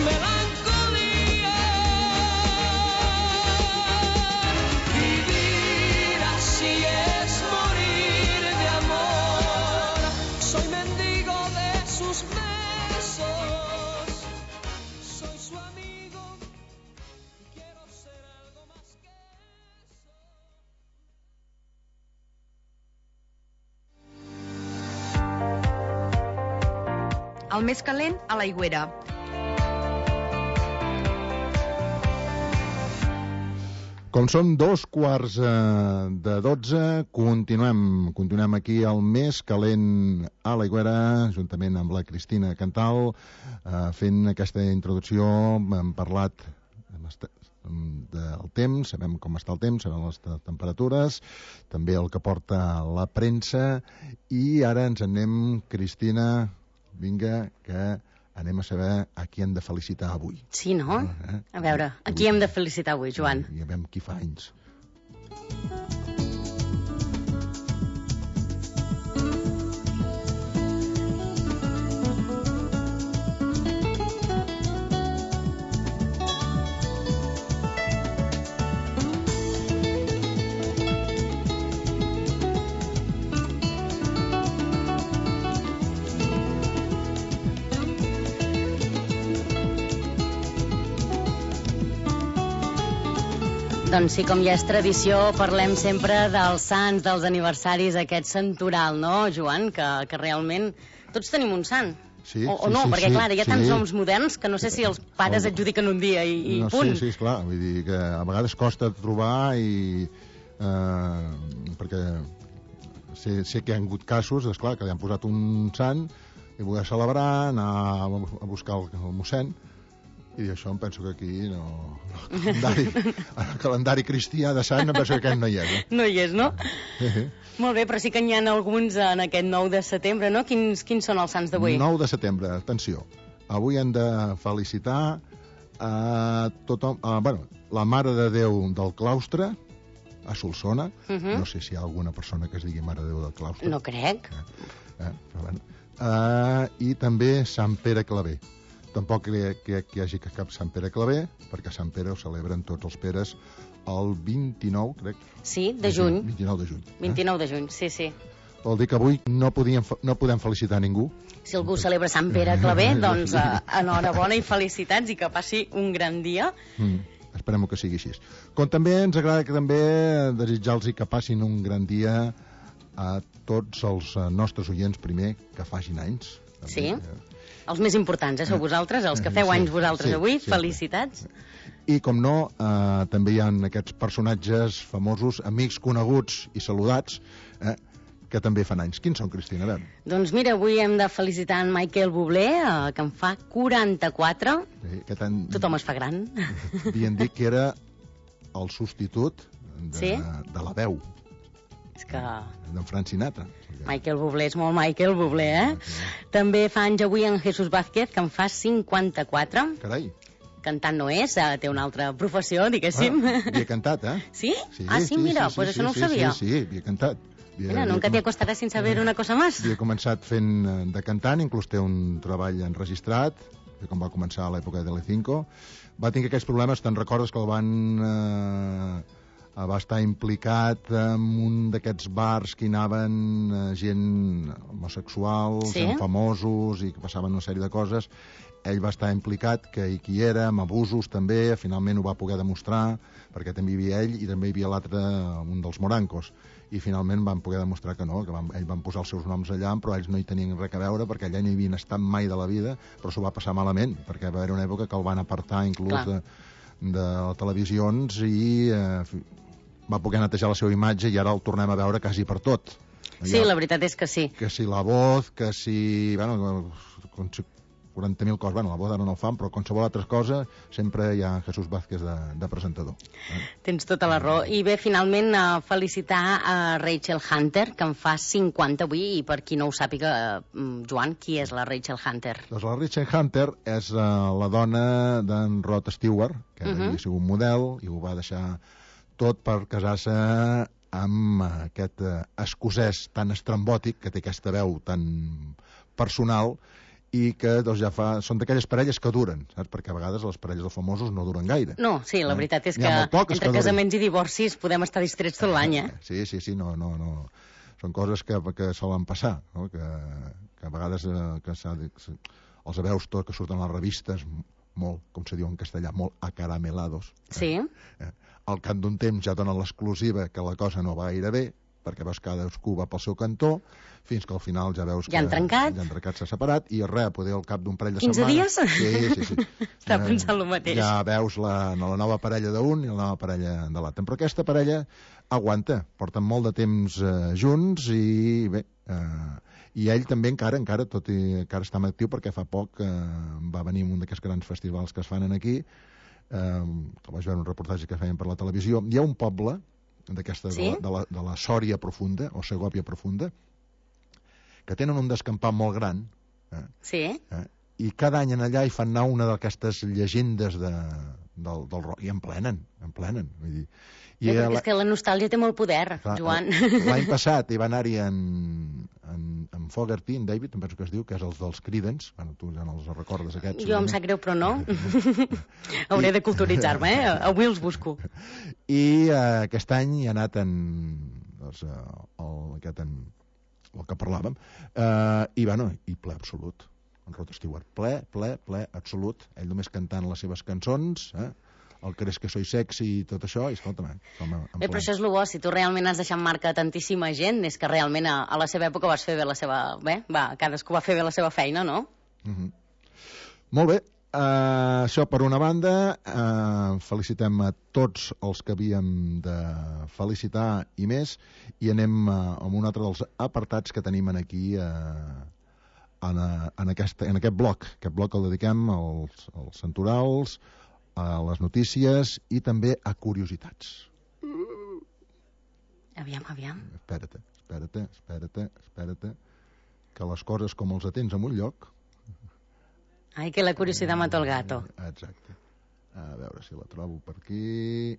melancolía. Vivir así es morir de amor. Soy mendigo de sus besos, soy su amigo y quiero ser algo más que El més calent, a l'Aigüera. Com són dos quarts eh, de dotze, continuem, continuem aquí al més calent a l'Aigüera, juntament amb la Cristina Cantal, eh, fent aquesta introducció. Hem parlat hem estat, del temps, sabem com està el temps, sabem les temperatures, també el que porta la premsa, i ara ens anem, Cristina, vinga, que anem a saber a qui hem de felicitar avui. Sí, no? Eh? A veure, a qui hem de felicitar avui, Joan? I a veure qui fa anys. Doncs sí, com ja és tradició, parlem sempre dels sants, dels aniversaris, aquest santoral, no, Joan? Que, que realment tots tenim un sant. Sí, o, o sí, no, sí, perquè sí, clar, hi ha sí. tants noms moderns que no sé si els pares Oh. adjudiquen un dia i, i no, punt. Sí, sí, esclar, vull dir que a vegades costa trobar i... Eh, perquè sé, sé que hi ha hagut casos, esclar, que li han posat un sant i voler celebrar, anar a buscar el, el mossèn, i això em penso que aquí no... El calendari, el calendari cristià de sant em penso que aquest no hi és. Eh? No hi és, no? Sí, sí. Molt bé, però sí que n'hi ha alguns en aquest nou de setembre, no? Quins, quins són els sants d'avui? nou de setembre, atenció. Avui hem de felicitar a tothom... A, bueno, la Mare de Déu del Claustre, a Solsona. Uh -huh. No sé si hi ha alguna persona que es digui Mare de Déu del Claustre. No crec. Eh? Eh? Però, bueno. uh, I també Sant Pere Claver. Tampoc crec que, que hi hagi cap Sant Pere Claver, perquè Sant Pere ho celebren tots els Peres el vint-i-nou, crec. Sí, de juny. vint-i-nou de juny. vint-i-nou de juny, sí, sí. Vol dir que avui no, podíem, no podem felicitar ningú. Si algú celebra Sant Pere Claver, doncs uh, enhorabona i felicitats i que passi un gran dia. Mm, esperem que sigui així. Com també ens agrada que també desitjar-los que passin un gran dia a tots els nostres oients, primer, que facin anys. També. Sí, els més importants, eh, sou vosaltres, els que feu sí, anys vosaltres sí, avui, sí, felicitats. I, com no, eh, també hi ha aquests personatges famosos, amics coneguts i saludats, eh, que també fan anys. Quins són, Cristina? A veure. Doncs mira, avui hem de felicitar en Michael Bublé, eh, que en fa quaranta-quatre. Sí, que tant... Tothom es fa gran. Havien dit que era el substitut de, sí? de la veu. És que... d'en Frank Sinatra. Michael Bublé és molt Michael Bublé, eh? Okay. També fa anys avui en Jesús Vázquez, que en fa cinquanta-quatre. Carai. Cantant no és, eh, té una altra professió, diguéssim. Ah, havia cantat, eh? Sí? sí ah, sí, sí, mira, sí, pues sí, això no ho sí, sabia. Sí, sí, havia cantat. Havia, mira, nunca havia... te acostarás sin saber una cosa más. Havia començat fent de cantant, inclús té un treball enregistrat, com va començar a l'època de Telecinco. Va tenir aquests problemes, te'n recordes que el van... Eh, va estar implicat en un d'aquests bars que hi anaven eh, gent homosexuals, sí? famosos, i que passaven una sèrie de coses. Ell va estar implicat, que hi qui era, amb abusos també, finalment ho va poder demostrar, perquè també hi havia ell i també hi havia l'altre, un dels morancos, i finalment van poder demostrar que no, que van, ells van posar els seus noms allà, però ells no hi tenien res a veure, perquè allà no hi havien estat mai de la vida, però s'ho va passar malament, perquè va haver una època que el van apartar inclús Clar. de, de televisions i eh, va poder netejar la seva imatge i ara el tornem a veure quasi per tot. Sí, ja, la veritat és que sí. Que si La Voz, que si... Bueno, quaranta mil coses. Bueno, la boda no el fan, però qualsevol altra cosa sempre hi ha Jesús Vázquez de, de presentador. Eh? Tens tota la raó. I bé, finalment, uh, felicitar a Rachel Hunter, que en fa cinquanta avui, i per qui no ho sàpiga, uh, Joan, qui és la Rachel Hunter? Doncs la Rachel Hunter és uh, la dona d'en Rod Stewart, que uh -huh. havia sigut un model i ho va deixar tot per casar-se amb aquest uh, escocès tan estrambòtic, que té aquesta veu tan personal, i que doncs, ja fa... són d'aquelles parelles que duren, saps? Perquè a vegades les parelles dels famosos no duren gaire. No, sí, la veritat és que entre que casaments i divorcis podem estar distrets tot l'any, eh? Sí, sí, sí, no, no, no. Són coses que, que solen passar, no? que, que a vegades eh, que els veus tot, que surten a les revistes molt, com se diu en castellà, molt acaramelados. Eh? Sí. Eh? Al cap d'un temps ja donen l'exclusiva que la cosa no va gaire bé, perquè veus que cadascú va pel seu cantó, fins que al final ja veus que... Ja han trencat. Ja han trencat, s'ha separat, i res, poder al cap d'un parell de quinze setmanes... dies? Sí, sí, sí. Està pensant el mateix. Ja veus la, la nova parella d'un i la nova parella de l'altre. Però aquesta parella aguanta, porten molt de temps eh, junts i bé... Eh, i ell també encara, encara, tot i encara està actiu, perquè fa poc eh, va venir un d'aquests grans festivals que es fan aquí, eh, que vaig veure un reportatge que feien per la televisió. Hi ha un poble d'aquesta, sí? de, la, de, la, de la Sòria profunda, o Segòvia profunda, que tenen un descampat molt gran, eh? Sí. Eh? I cada any en allà hi fan anar una d'aquestes llegendes de, del, del rock, i en plenen, en plenen. Vull dir, i sí, perquè és que la nostàlgia té molt poder, clar, Joan. L'any passat hi va anar-hi en, en, en Fogerty, en David, em penso que es diu, que és els dels Creedence. Bueno, tu ja no els recordes, aquests. Jo em sap greu, però no. Hauré de culturitzar-me, eh? Avui els busco. I uh, aquest any hi ha anat en... Doncs, uh, el, aquest en, el que parlàvem, uh, i, bueno, i ple absolut. En Rod Stewart, ple, ple, ple, absolut. Ell només cantant les seves cançons, eh? El Crees que soy sexy i tot això, i escolta'm, bé, però això és el bo, si tu realment has deixat marca tantíssima gent, és que realment a, a la seva època vas fer bé la seva... Bé, va, cadascú va fer bé la seva feina, no? Uh -huh. Molt bé, uh, això per una banda, uh, felicitem a tots els que havíem de felicitar i més, i anem uh, amb un altre dels apartats que tenim aquí uh, en, uh, en, aquest, en aquest bloc. Aquest bloc el dediquem als, als santorals, a les notícies i també a curiositats. Aviam, aviam. Espera't, espera't, espera't, espera't, que les coses com els atens en un lloc... Ai, que la curiositat mata el gato. Exacte. A veure si la trobo per aquí...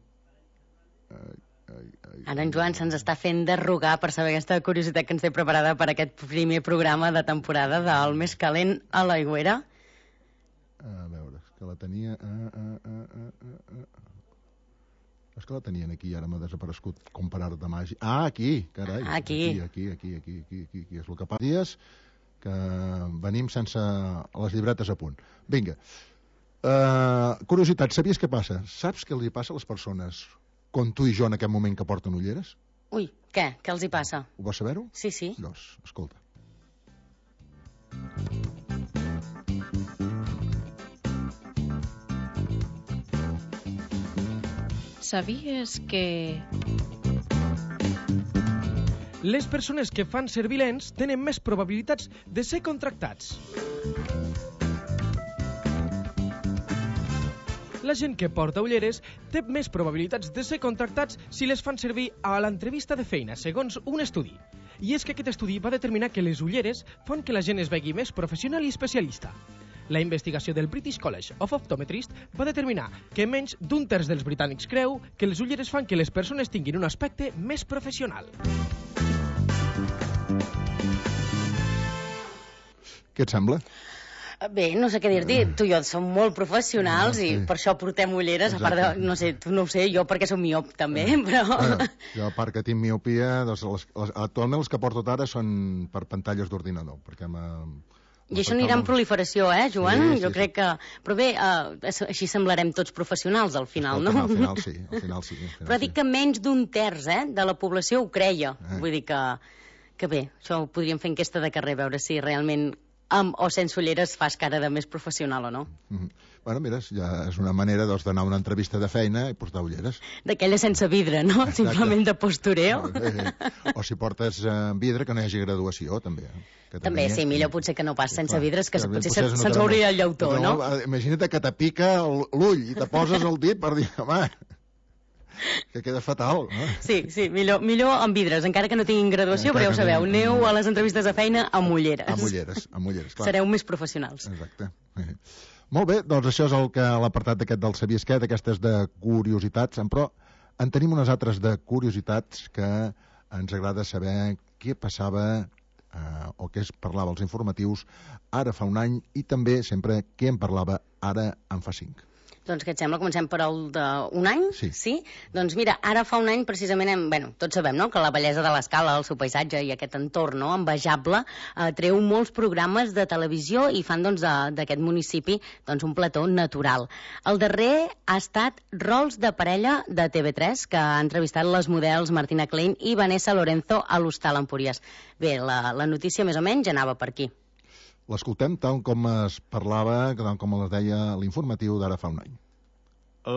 Ai, ai, ai, Ara en Joan se'ns està fent derrogar per saber aquesta curiositat que ens té preparada per aquest primer programa de temporada del Més calent a l'Aigüera. A veure, és que la tenia... Ah, ah, ah, ah, ah, ah. És que la tenien aquí i ara m'ha desaparegut com per art de màgia. Ah, aquí, carai. Aquí. Aquí, aquí, aquí, aquí, aquí, aquí. És el que fa dies que venim sense les llibretes a punt. Vinga. Uh, curiositat, sabies què passa? Saps què els hi passa a les persones com tu i jo en aquest moment que porten ulleres? Ui, què? Què els hi passa? Ho vols saber-ho? Sí, sí. Doncs, escolta. Sabies que... Les persones que fan servir lents tenen més probabilitats de ser contractats. La gent que porta ulleres té més probabilitats de ser contractats si les fan servir a l'entrevista de feina, segons un estudi. I és que aquest estudi va determinar que les ulleres fan que la gent es vegi més professional i especialista. La investigació del British College of Optometrists va determinar que menys d'un terç dels britànics creu que les ulleres fan que les persones tinguin un aspecte més professional. Què et sembla? Bé, no sé què dir-t'hi. Tu i jo som molt professionals i per això portem ulleres. A part de, no sé, tu no ho sé, jo perquè som miop també, però... Bueno, jo a part que tinc miopia, doncs les, les, actualment els que porto ara són per pantalles d'ordinador, perquè m'ha... I això anirà en proliferació, eh, Joan? Sí, sí, jo crec que... Però bé, uh, així semblarem tots professionals al final, no? Al final sí, al final sí. Al final Però dic sí. que menys d'un terç eh, de la població ho creia. Eh. Vull dir que, que bé, això ho podríem fer enquesta de carrer, veure si realment amb o sense ulleres fas cara de més professional o no. Mm-hmm. Bueno, mira, ja és una manera doncs, d'anar a una entrevista de feina i portar ulleres. D'aquella sense vidre, no? Exacte. Simplement de postureo. Eh, o si portes eh, vidre, que no hi hagi graduació, també. Que també, sí, millor potser que no pas sense vidres, que Clar, potser potser se'ns no hauria el llautó, no? Imagina't que te pica l'ull i te poses el dit per dir, home, que queda fatal, no? Sí, sí, millor, millor amb vidres, encara que no tinguin graduació, però ja ho sabeu, aneu a les entrevistes de feina amb ulleres. Amb ulleres, amb ulleres, clar. Sereu més professionals. Exacte. Molt bé, doncs això és el que l'apartat d'aquest del Sabies què, d'aquestes de curiositats, però en tenim unes altres de curiositats que ens agrada saber què passava eh, o què es parlava als informatius ara fa un any i també sempre què en parlava ara en fa cinc. Doncs què et sembla? Comencem per el d'un any? Sí. Sí? Doncs mira, ara fa un any precisament, hem, bueno, tots sabem, no?, que la bellesa de l'Escala, el seu paisatge i aquest entorn, no?, envejable, eh, treu molts programes de televisió i fan, doncs, d'aquest municipi, doncs, un plató natural. El darrer ha estat Rols de parella de T V tres, que ha entrevistat les models Martina Klein i Vanessa Lorenzo a l'Hostal Empúries. Bé, la, la notícia més o menys anava per aquí. L'escoltem tal com es parlava, tal com es deia l'informatiu d'ara fa un any.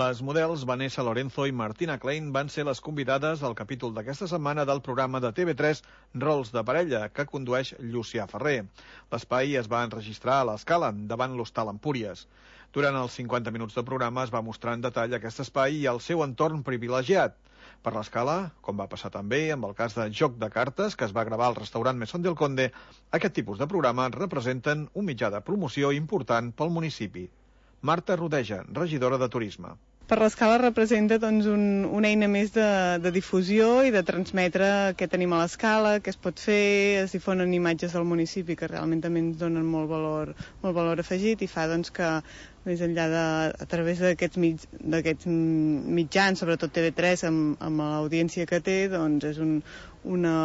Les models Vanessa Lorenzo i Martina Klein van ser les convidades al capítol d'aquesta setmana del programa de T V tres Rols de parella, que condueix Llucià Ferrer. L'espai es va enregistrar a l'Escala, davant l'Hostal Empúries. Durant els cinquanta minuts de programa es va mostrar en detall aquest espai i el seu entorn privilegiat. Per l'Escala, com va passar també amb el cas de Joc de Cartes, que es va gravar al restaurant Mesón del Conde, aquest tipus de programes representen un mitjà de promoció important pel municipi. Marta Rodeja, regidora de Turisme. Per l'Escala representa doncs, un, una eina més de, de difusió i de transmetre què tenim a l'Escala, què es pot fer, es difonen imatges del municipi que realment també ens donen molt valor, molt valor afegit i fa doncs, que més enllà de, a través d'aquests mig, mitjans, sobretot T V tres, amb, amb l'audiència que té, doncs és un, una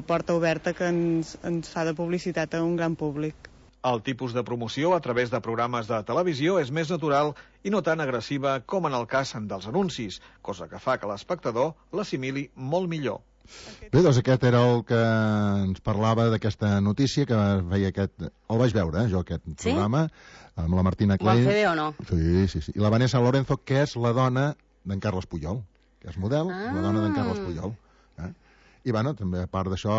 porta oberta que ens, ens fa de publicitat a un gran públic. El tipus de promoció a través de programes de televisió és més natural i no tan agressiva com en el cas dels anuncis, cosa que fa que l'espectador l'assimili molt millor. Bé, doncs aquest era el que ens parlava d'aquesta notícia que veia aquest... El vaig veure, eh, jo, aquest sí? programa, amb la Martina Klein. Ho van fer bé o no? Sí, sí, sí. I la Vanessa Lorenzo, que és la dona d'en Carles Puyol, que és model, ah. la dona d'en Carles Puyol. Eh? I, bueno, també a part d'això,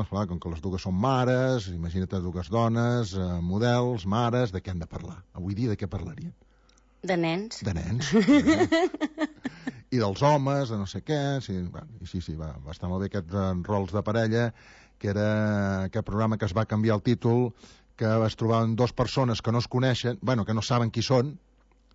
clar, com que les dues són mares, imagina't dues dones, eh, models, mares, de què han de parlar? Avui dia de què parlarien? De nens. De nens. Eh? I dels homes, de no sé què. Sí, bueno, sí, sí, va, va estar molt bé aquest eh, Rols de parella, que era aquest programa que es va canviar el títol, que es trobaven dues persones que no es coneixen, bueno, que no saben qui són,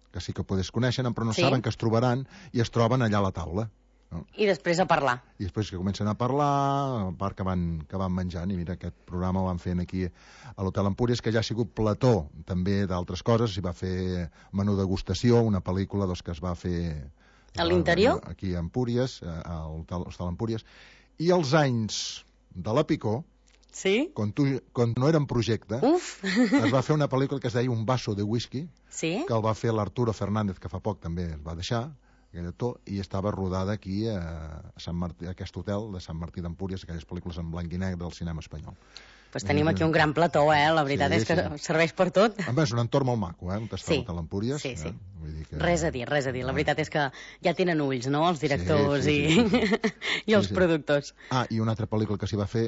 que sí que podes conèixer, però no sí. saben que es trobaran, i es troben allà a la taula. No? I després a parlar. I després que comencen a parlar, a part que van, que van menjant, i mira, aquest programa el van fent aquí a l'Hotel Empúries, que ja ha sigut plató també d'altres coses, s'hi va fer menú degustació, una pel·lícula doncs, que es va fer... A l'interior? Aquí a Empúries, a l'Hotel Empúries. I els anys de la Picó, sí? quan, tu, quan no era en projecte, Uf. es va fer una pel·lícula que es deia Un vaso de whisky, sí? que el va fer l'Arturo Fernández, que fa poc també es va deixar, i estava rodada aquí a, Sant Martí, a aquest hotel de Sant Martí d'Empúries, aquelles pel·lícules en blanc i negre del cinema espanyol. Pues tenim aquí un gran plató, eh? La veritat sí, és que sí. serveix per tot. Home, és un entorn molt maco, eh? On està sí. l'Hotel Empúries. Sí, sí. Eh? Vull dir que... Res a dir, res a dir. La veritat és que ja tenen ulls, no?, els directors sí, sí, sí, sí, sí. i els sí, sí. productors. Ah, i una altra pel·lícula que s'hi va fer,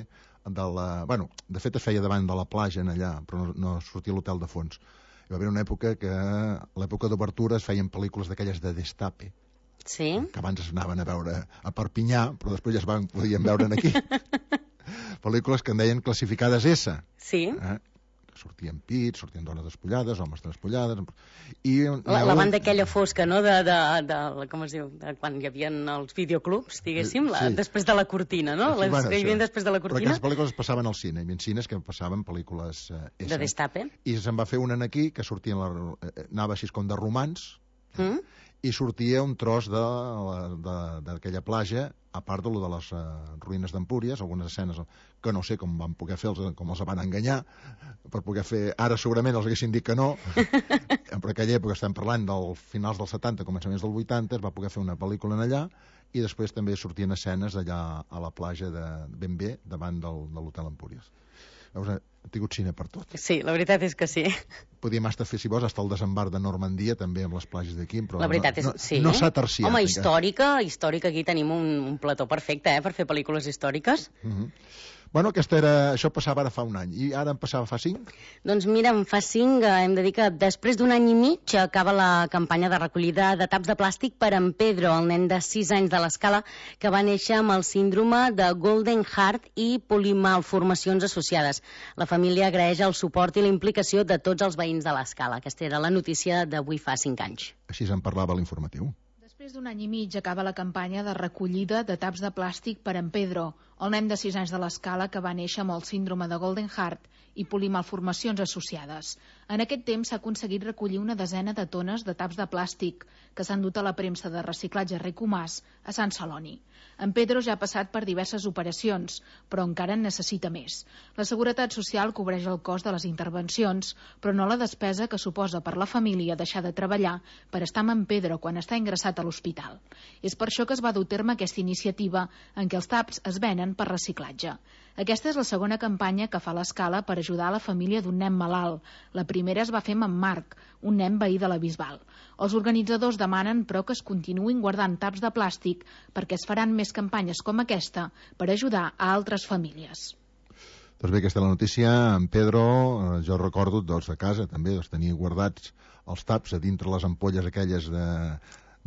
de la... bueno, de fet es feia davant de la platja en allà, però no, no sortia l'hotel de fons. Hi va haver una època que, a l'època d'obertura, es feien pel·lícules d'aquelles de Destape. Sí? Que abans es anaven a veure a Perpinyà, però després ja es van, podien veure aquí. Pel·lícules que en deien classificades S. Sí. Eh? Sortien pits, sortien dones despullades, homes despullades... I, la, la banda aquella fosca, no?, de, de, de, com es diu, de quan hi havia els videoclubs, diguéssim, la, sí. després de la cortina, no? Sí, Les bueno, que hi havia després de la cortina. Però aquestes pel·lícules es passaven al cine, hi havia cines que passaven pel·lícules eh, S. De Destape. I se'n va fer una aquí, que sortien la, eh, anava així com de romans, mm? i sortia un tros d'aquella platja, a part de, lo de les uh, ruïnes d'Empúries, algunes escenes que no sé com van poder fer, els, com els van enganyar, per poder fer... Ara segurament els haguessin dit que no, per aquella època estem parlant dels finals dels setanta, començaments dels vuitanta, es va poder fer una pel·lícula en allà, i després també sortien escenes allà a la platja de ben bé, davant del, de l'Hotel Empúries. Veus, ha tingut cine per tot. Sí, la veritat és que sí. Podíem estar fer, si vols, hasta el desembarc de Normandia, també amb les platges d'aquí, però la veritat és, no, sí. no s'ha terciat. Home, històrica, històrica, aquí tenim un, un plató perfecte, eh, per fer pel·lícules històriques. Uh-huh. Bueno, aquesta era, això passava ara fa un any, i ara en passava fa cinc? Doncs mira, en fa cinc, hem de dir que després d'un any i mig acaba la campanya de recollida de taps de plàstic per en Pedro, el nen de sis anys de l'Escala, que va néixer amb el síndrome de Golden Heart i polimalformacions associades. La família agraeix el suport i la implicació de tots els veïns de l'Escala. Aquesta era la notícia d'avui fa cinc anys. Així se'n parlava a l'informatiu. Després d'un any i mig acaba la campanya de recollida de taps de plàstic per en Pedro, el nen de sis anys de l'Escala que va néixer amb el síndrome de Golden Heart i polimalformacions associades. En aquest temps s'ha aconseguit recollir una desena de tones de taps de plàstic que s'han dut a la premsa de reciclatge Ricomàs a Sant Celoni. En Pedro ja ha passat per diverses operacions, però encara en necessita més. La Seguretat Social cobreix el cost de les intervencions, però no la despesa que suposa per la família deixar de treballar per estar amb en Pedro quan està ingressat a l'hospital. És per això que es va dur a terme aquesta iniciativa en què els taps es venen per reciclatge. Aquesta és la segona campanya que fa l'Escala per ajudar a la família d'un nen malalt. La primera es va fer amb en Marc, un nen veí de la Bisbal. Els organitzadors demanen, però, que es continuïn guardant taps de plàstic perquè es faran més campanyes com aquesta per ajudar a altres famílies. Doncs bé, aquesta és la notícia. En Pedro, jo recordo, doncs, a casa també, doncs, tenia guardats els taps a dintre les ampolles aquelles de...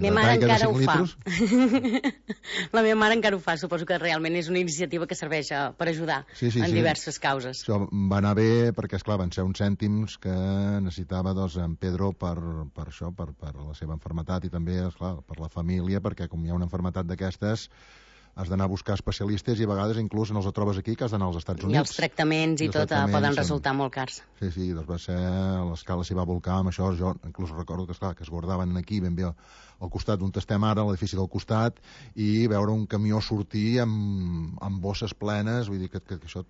La meva mare encara ho fa. La meva mare encara ho fa. Suposo que realment és una iniciativa que serveix per ajudar sí, sí, en sí. diverses causes. Això va anar bé perquè, esclar, van ser uns cèntims que necessitava doncs, en Pedro per, per això, per, per la seva malaltia i també, esclar, per la família, perquè com hi ha una malaltia d'aquestes has d'anar a buscar especialistes i a vegades inclús no els trobes aquí, que has d'anar als Estats Units. I els tractaments i, i tot tractaments poden resultar molt cars. Sí, sí, doncs va ser... L'Escala s'hi va volcar amb això. Jo inclús recordo que, esclar, que es guardaven aquí ben bé al costat d'on estem ara, l'edifici del costat, i veure un camió sortir amb, amb bosses plenes, vull dir que, que, que això...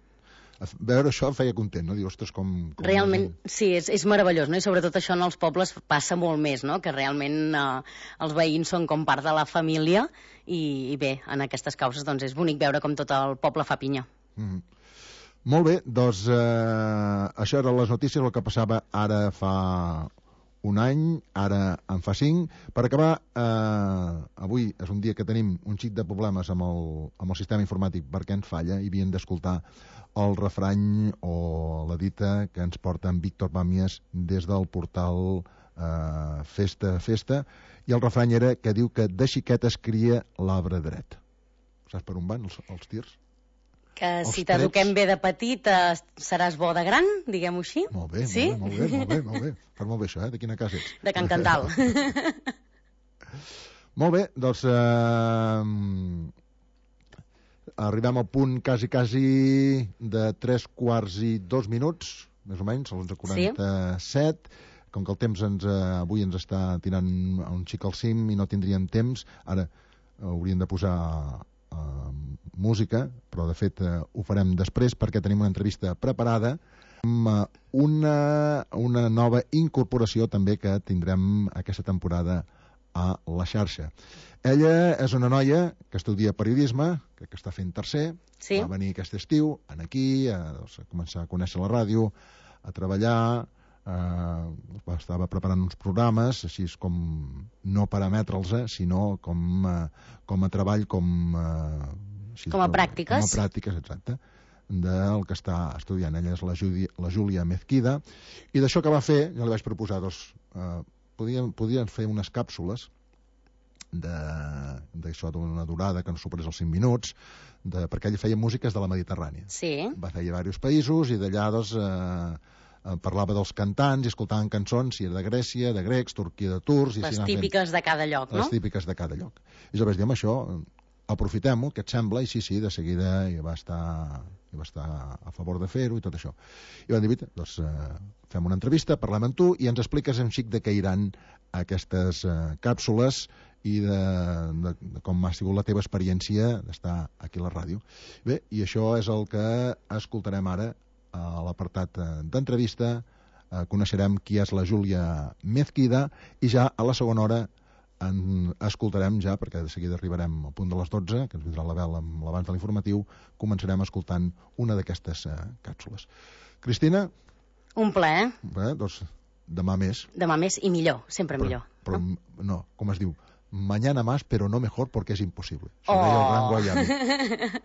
Veure això em feia content, no? Dir, ostres, com... com realment, sí, és, és meravellós, no? I sobretot això en els pobles passa molt més, no? Que realment eh, els veïns són com part de la família i, i bé, en aquestes causes doncs és bonic veure com tot el poble fa pinya. Mm-hmm. Molt bé, doncs eh, això eren les notícies, el que passava ara fa un any, ara en fa cinc. Per acabar, eh, avui és un dia que tenim un xic de problemes amb el, amb el sistema informàtic perquè ens falla i havien d'escoltar el refrany o la dita que ens porta en Víctor Pàmies des del portal eh, Festa Festa, i el refrany era que diu que de xiquet es cria l'arbre dret. Saps per on van els, els tirs? Que els si t'eduquem bé de petit eh, seràs bo de gran, diguem-ho així. Molt bé, sí? molt bé, molt bé, molt bé. Fas molt bé això, eh? De quina casa ets? De Can Cantal. Molt bé, doncs... Eh, arribem al punt quasi, quasi de tres quarts i dos minuts, més o menys, a l'onze quaranta-set. Sí. Com que el temps ens, eh, avui ens està tirant un xic al cim i no tindríem temps, ara eh, hauríem de posar eh, música, però de fet eh, ho farem després perquè tenim una entrevista preparada amb eh, una, una nova incorporació també que tindrem aquesta temporada a la xarxa. Ella és una noia que estudia periodisme, que, que està fent tercer, sí. Va venir aquest estiu aquí, a, doncs, a començar a conèixer la ràdio, a treballar, eh, estava preparant uns programes, així com no per emetre'ls, eh, sinó com, eh, com a treball, com... Eh, així, com a pràctiques. Com a pràctiques, exacte, del que està estudiant. Ella és la, Judi, la Júlia Mezquida, i d'això que va fer, jo li vaig proposar, doncs, eh, podien, podien fer unes càpsules d'això d'una durada que no superés els cinc minuts, de, perquè ella feia músiques de la Mediterrània. Sí. Va fer a diversos països i d'allà doncs, eh, parlava dels cantants i escoltaven cançons, si era de Grècia, de grecs, Turquia de turcs... I les típiques fent, de cada lloc, no? Les típiques de cada lloc. I jo vaig dir, amb això, aprofitem-ho, què et sembla? I sí, sí, de seguida hi va estar, hi va estar a favor de fer-ho i tot això. I van dir, doncs, eh, fem una entrevista, parlem amb tu i ens expliques un xic de què iran aquestes eh, càpsules i de, de, de com ha sigut la teva experiència d'estar aquí a la ràdio. Bé, i això és el que escoltarem ara a l'apartat d'entrevista. Eh, coneixerem qui és la Júlia Mezquida i ja a la segona hora en escoltarem ja, perquè de seguida arribarem al punt de les dotze, que ens vindrà la vela amb l'abans de l'informatiu, començarem escoltant una d'aquestes uh, càpsules. Cristina? Un plaer. Bé, doncs demà més. Demà més i millor, sempre però, millor. Però no? no, com es diu? Mañana más, pero no mejor porque es imposible. Això oh. deia el gran Guayami.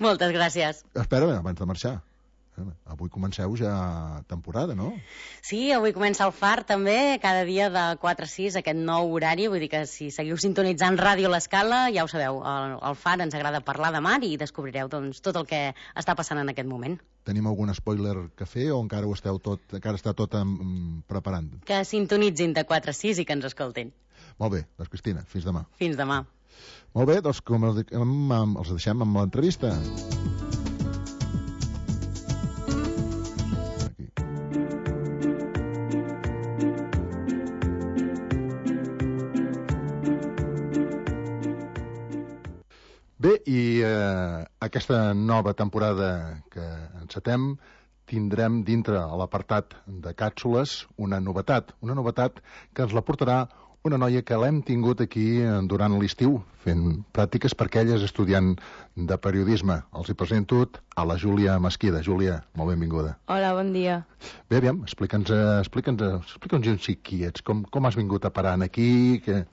Moltes gràcies. Espera, abans de marxar. Avui comenceu ja temporada, no? Sí, avui comença el Far també, cada dia de quatre a sis, aquest nou horari, vull dir que si seguiu sintonitzant Ràdio L'Escala, ja ho sabeu, el, el Far ens agrada parlar de mar i descobrireu doncs, tot el que està passant en aquest moment. Tenim algun spoiler que fer o encara ho esteu tot, encara està tot um, preparant? Que sintonitzin de quatre a sis i que ens escoltin. Molt bé, doncs Cristina, fins demà. Fins demà. Molt bé, doncs com els, els deixem amb l'entrevista. Bé, i eh, aquesta nova temporada que encetem tindrem dintre a l'apartat de càpsules una novetat, una novetat que ens la portarà una noia que l'hem tingut aquí durant l'estiu fent pràctiques perquè ella és estudiant de periodisme. Els hi presento a la Júlia Mesquida. Júlia, molt benvinguda. Hola, bon dia. Bé, aviam, explica'ns explica'ns, explica'ns un xic qui ets, com, com has vingut a parar aquí, que,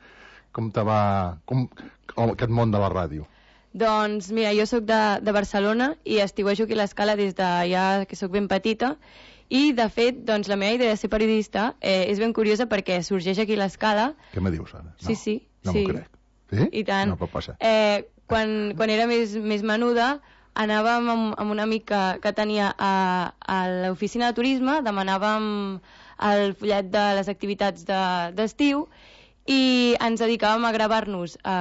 com te va... Com, aquest món de la ràdio. Doncs mira, jo sóc de, de Barcelona i estiuejo aquí a l'Escala des de ja que sóc ben petita i de fet doncs, la meva idea de ser periodista eh, és ben curiosa perquè sorgeix aquí a l'Escala. Què me dius ara? No, sí, sí. No sí. m'ho crec. Sí? I tant. No pot passar. Eh, quan, quan era més, més menuda anàvem amb, amb un amic que, que tenia a, a l'oficina de turisme, demanàvem el fullet de les activitats d'estiu de, i ens dedicàvem a gravar-nos eh,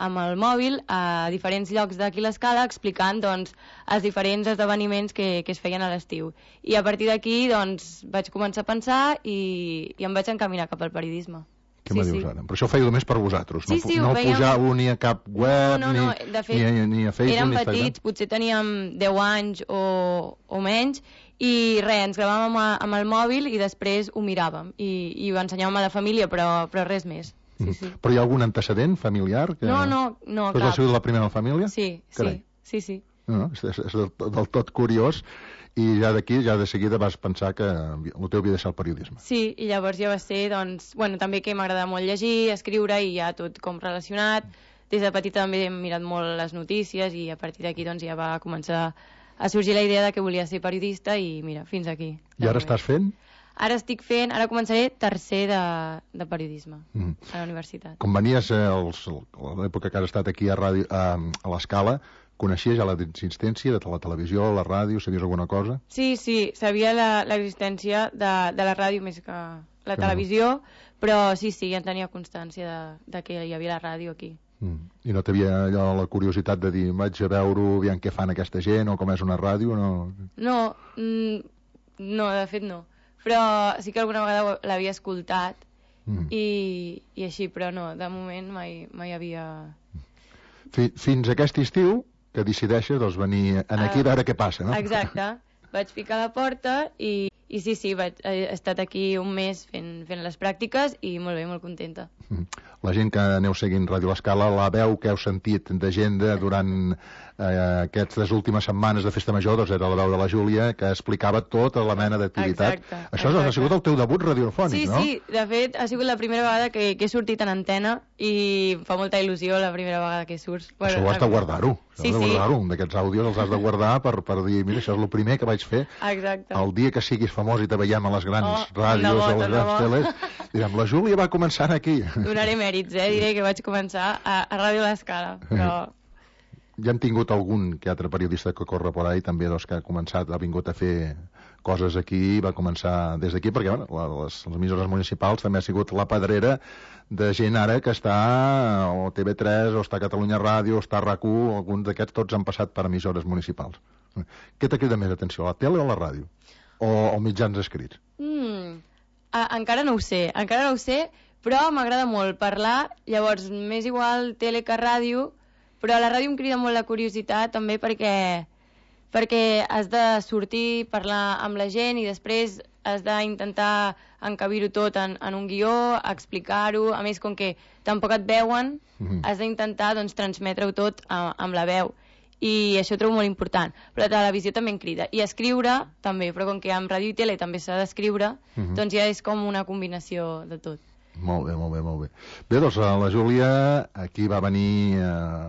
amb el mòbil a diferents llocs d'aquí a l'Escala explicant doncs, els diferents esdeveniments que, que es feien a l'estiu. I a partir d'aquí doncs, vaig començar a pensar i, i em vaig encaminar cap al periodisme. Què sí, me dius sí. ara? Però això ho feia només per vosaltres, sí, no, sí, no fèiem... pujàveu ni a cap web, no, no, no. Ni, de fet, ni, a, ni a Facebook, érem ni a Instagram. petits, potser teníem deu anys o, o menys, i res, ens gravàvem amb, amb el mòbil i després ho miràvem i, i ho ensenyàvem a la família, però, però res més. Sí, sí. Però hi ha algun antecedent familiar? Que... No, no, no, cap. Tu has sigut la primera a la família? Sí, sí, sí, sí. No, és, és, és del, del tot curiós i ja d'aquí, ja de seguida vas pensar que el teu havia de ser el periodisme. Sí, i llavors ja va ser, doncs, bueno, també que m'agrada molt llegir, escriure i ja tot com relacionat. Des de petita també he mirat molt les notícies i a partir d'aquí doncs ja va començar a sorgir la idea de que volia ser periodista i mira, fins aquí. I ara estàs fent? Ara estic fent, ara començaré tercer de, de periodisme mm. a la universitat. Com venies eh, els, a l'època que has estat aquí a, ràdio, a, a l'Escala, coneixies ja l'existència de la televisió, la ràdio, sabies alguna cosa? Sí, sí, sabia l'existència de, de la ràdio més que la que televisió, no. Però sí, sí, ja en tenia constància de, de que hi havia la ràdio aquí. Mm. I no t'havia allò la curiositat de dir vaig a veure aviam què fan aquesta gent o com és una ràdio? No, no, mm, no de fet no. Però sí que alguna vegada l'havia escoltat mm. i, i així, però no, de moment mai, mai havia... Fins aquest estiu que decideixes doncs, venir aquí a veure què passa, no? Exacte, vaig picar a la porta i, i sí, sí, vaig, he estat aquí un mes fent, fent les pràctiques i molt bé, molt contenta. La gent que aneu seguint Ràdio L'Escala, la veu que heu sentit de gent de, durant eh, aquestes últimes setmanes de Festa Major, doncs era la veu de la Júlia, que explicava tota la mena d'activitat. Exacte. Això exacte. Ha sigut el teu debut radiofònic, sí, no? Sí, sí, de fet ha sigut la primera vegada que, que he sortit en antena i em fa molta il·lusió la primera vegada que surts. Bueno, això ho has de guardar-ho. Sí, de sí. guardar-ho. D'aquests àudios els has de guardar per, per dir, mira, això és el primer que vaig fer. Exacte. El dia que siguis famós i te veiem a les grans oh, ràdios o a les grans teles, direm, la Júlia va començar aquí. Donaré mèrits, eh? Diré que vaig començar a, a Ràdio L'Escala, però... Ja hem tingut algun que altre periodista que corre por ahí, també, doncs, que ha començat, ha vingut a fer coses aquí, va començar des d'aquí, perquè bueno, les, les emissores municipals també ha sigut la pedrera de gent ara que està o T V tres, o està a Catalunya Ràdio, o està a RAC u, alguns d'aquests tots han passat per emissores municipals. Què t'ha cridat més atenció, la tele o la ràdio? O, o mitjans escrits? Mm, a, encara no ho sé, encara no ho sé, però m'agrada molt parlar, llavors m'és igual tele que ràdio, però a la ràdio em crida molt la curiositat també perquè, perquè has de sortir, parlar amb la gent i després has d'intentar encabir-ho tot en, en un guió, explicar-ho, a més, com que tampoc et veuen, mm-hmm. has d'intentar doncs, transmetre-ho tot a, amb la veu. I això ho trobo molt important. Però la televisió també en crida. I escriure també, però com que amb ràdio i tele també s'ha d'escriure, mm-hmm. doncs ja és com una combinació de tot. Molt bé, molt bé, molt bé. Bé, doncs la Júlia aquí va venir eh,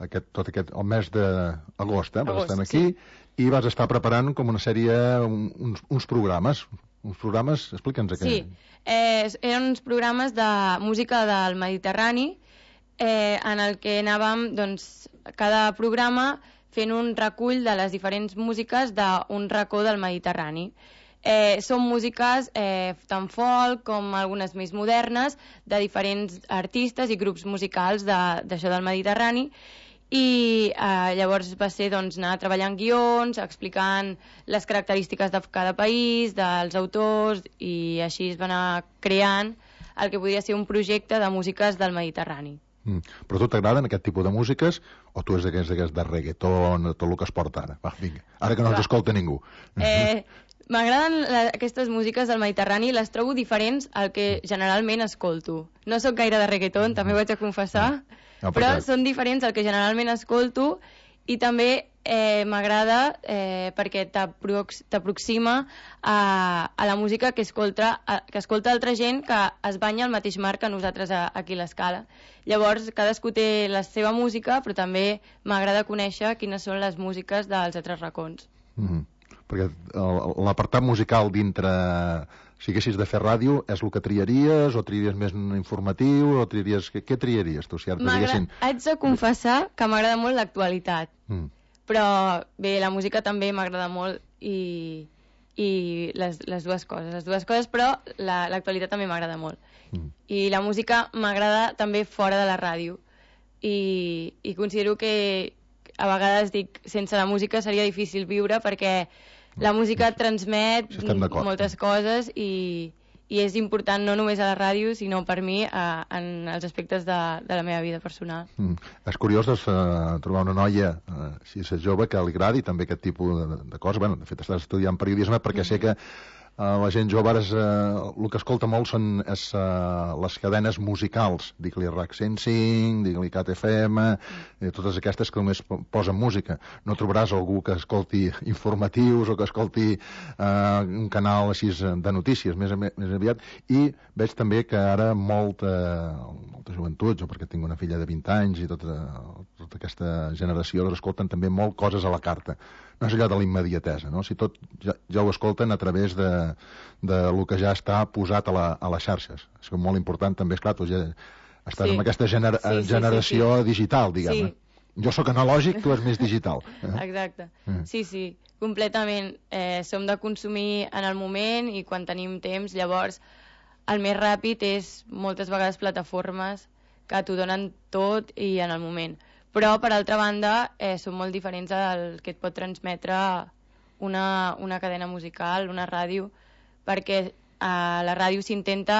aquest, tot aquest, el mes d'agost, eh? Agost, estem aquí, sí. I vas estar preparant com una sèrie, uns, uns programes. Uns programes, explica'ns aquell. Sí, eh, eren uns programes de música del Mediterrani, eh, en el que anàvem, doncs, cada programa fent un recull de les diferents músiques d'un racó del Mediterrani. Eh, són músiques eh, tant folk com algunes més modernes de diferents artistes i grups musicals d'això de, del Mediterrani, i eh, llavors va ser doncs, anar treballant guions, explicant les característiques de cada país, dels autors, i així es va anar creant el que podria ser un projecte de músiques del Mediterrani. Mm. Però a tu t'agraden aquest tipus de músiques o tu és d'aquests de reggaeton, tot el que es porta ara? Va, vinga, ara que no ens escolta ningú. Eh, M'agraden aquestes músiques del Mediterrani, les trobo diferents al que generalment escolto. No sóc gaire de reggaeton, també ho haig de confessar, no, però perquè... són diferents al que generalment escolto, i també eh, m'agrada eh, perquè t'aproxima a, a la música que escolta, a, que escolta altra gent que es banya al mateix mar que nosaltres a, aquí a l'Escala. Llavors, cadascú té la seva música, però també m'agrada conèixer quines són les músiques dels altres racons. Mm-hmm. Perquè l'apartat musical dintre, si haguessis de fer ràdio, és el que triaries, o triaries més informatiu, o triaries... Què, què triaries tu? Si diguessin... Haig de confessar que m'agrada molt l'actualitat, mm. però bé, la música també m'agrada molt, i, i les, les dues coses, les dues coses, però l'actualitat la, també m'agrada molt. Mm. I la música m'agrada també fora de la ràdio, i, i considero que a vegades dic, sense la música seria difícil viure, perquè la música transmet moltes coses, i, i és important no només a la ràdio, sinó per mi a, en els aspectes de, de la meva vida personal. Mm. És curiós doncs, uh, trobar una noia, uh, si és jove, que li agradi també aquest tipus de, de coses. Bueno, de fet, estàs estudiant periodisme perquè mm. sé que Uh, la gent jove ara, uh, el que escolta molt són és, uh, les cadenes musicals, digue-li RAC cent cinc, digue-li Cat F M, mm. totes aquestes que només posen música. No trobaràs algú que escolti informatius o que escolti uh, un canal així de notícies, més, més aviat. I veig també que ara molta, molta joventut, jo perquè tinc una filla de vint anys i tota, tota aquesta generació, doncs escolten també molt coses a la carta. No és allò de la immediatesa, no? Si tot ja, ja ho escolten a través de, de lo que ja està posat a, la, a les xarxes. És molt important també, esclar, tu ja estàs sí. en aquesta gener sí, sí, generació sí, sí. digital, diguem-ne. Sí. Jo sóc analògic, tu és més digital. Eh? Exacte. Eh. Sí, sí, completament. Eh, som de consumir en el moment, i quan tenim temps, llavors el més ràpid és moltes vegades plataformes que t'ho donen tot i en el moment. Però, per altra banda, eh, són molt diferents del que et pot transmetre una, una cadena musical, una ràdio, perquè a la ràdio s'intenta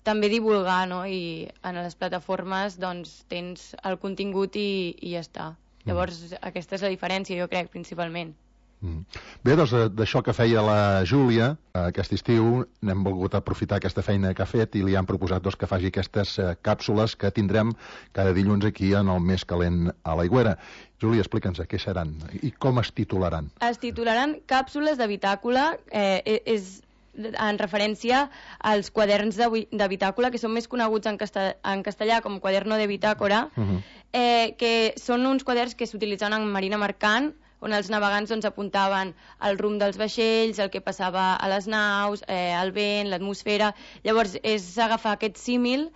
també divulgar, no? I en les plataformes doncs, tens el contingut i, i ja està. Llavors, mm. aquesta és la diferència, jo crec, principalment. Mm. Bé, doncs d'això que feia la Júlia aquest estiu, n'hem volgut aprofitar aquesta feina que ha fet i li han proposat doncs, que faci aquestes uh, càpsules que tindrem cada dilluns aquí en el Més Calent a l'Aigüera. Júlia, explica'ns què seran i com es titularan. Es titularan Càpsules de Bitàcola, eh, és en referència als quaderns de, de bitàcola, que són més coneguts en, casta, en castellà com quaderno de bitàcora, uh-huh. eh, que són uns quaderns que s'utilitzaven en marina mercant, on els navegants doncs, apuntaven el rumb dels vaixells, el que passava a les naus, eh, el vent, l'atmosfera. Llavors és agafar aquest símil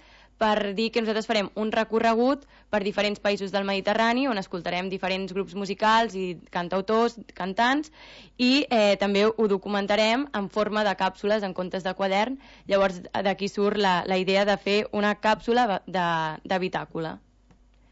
per dir que nosaltres farem un recorregut per diferents països del Mediterrani, on escoltarem diferents grups musicals i cantautors, cantants, i eh, també ho documentarem en forma de càpsules en comptes de quadern. Llavors d'aquí surt la, la idea de fer una càpsula de, de bitàcola.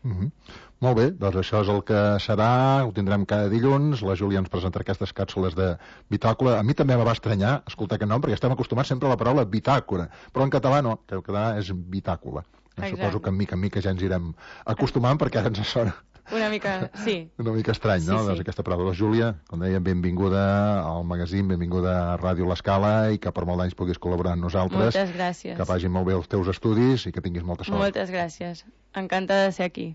Mm-hmm. Molt bé, doncs això és el que serà, ho tindrem cada dilluns, la Júlia ens presentarà aquestes càpsules de bitàcola. A mi també me va estranyar escoltar aquest nom, perquè estem acostumats sempre a la paraula bitàcora, però en català no, que el català és bitàcola. Suposo que en mica en mica ja ens irem acostumant, perquè ara ens sona Una mica, sí. Una mica estrany, no? Sí, sí. Doncs aquesta paraula. Júlia, com dèiem, benvinguda al magazín, benvinguda a Ràdio L'Escala i que per molt d'anys puguis col·laborar amb nosaltres. Moltes gràcies. Que vagin molt bé els teus estudis i que tinguis molta sort. Moltes gràcies. Encantada de ser aquí.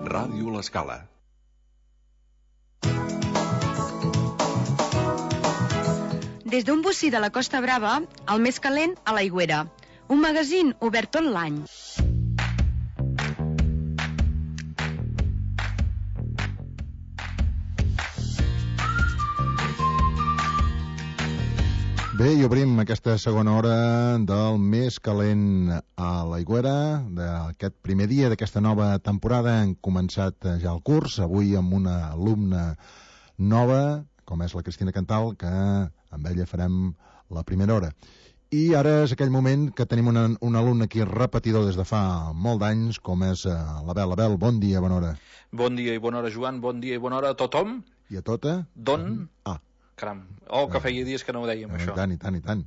Ràdio L'Escala. Des d'un bocí de la Costa Brava, el més calent a l'Aigüera. Un magazín obert tot l'any. Bé, i obrim aquesta segona hora del més calent a l'Aigüera, d'aquest primer dia d'aquesta nova temporada. Hem començat ja el curs, avui amb una alumna nova, com és la Cristina Cantal, que amb ella farem la primera hora. I ara és aquell moment que tenim una, un alumne aquí repetidor des de fa molt d'anys, com és l'Abel. Abel, bon dia, bona hora. Bon dia i bona hora, Joan, bon dia i bona hora a tothom. I a tota? Don? Ah. Caram, oh, que feia dies que no ho dèiem, I això. tant, i tant, i tant.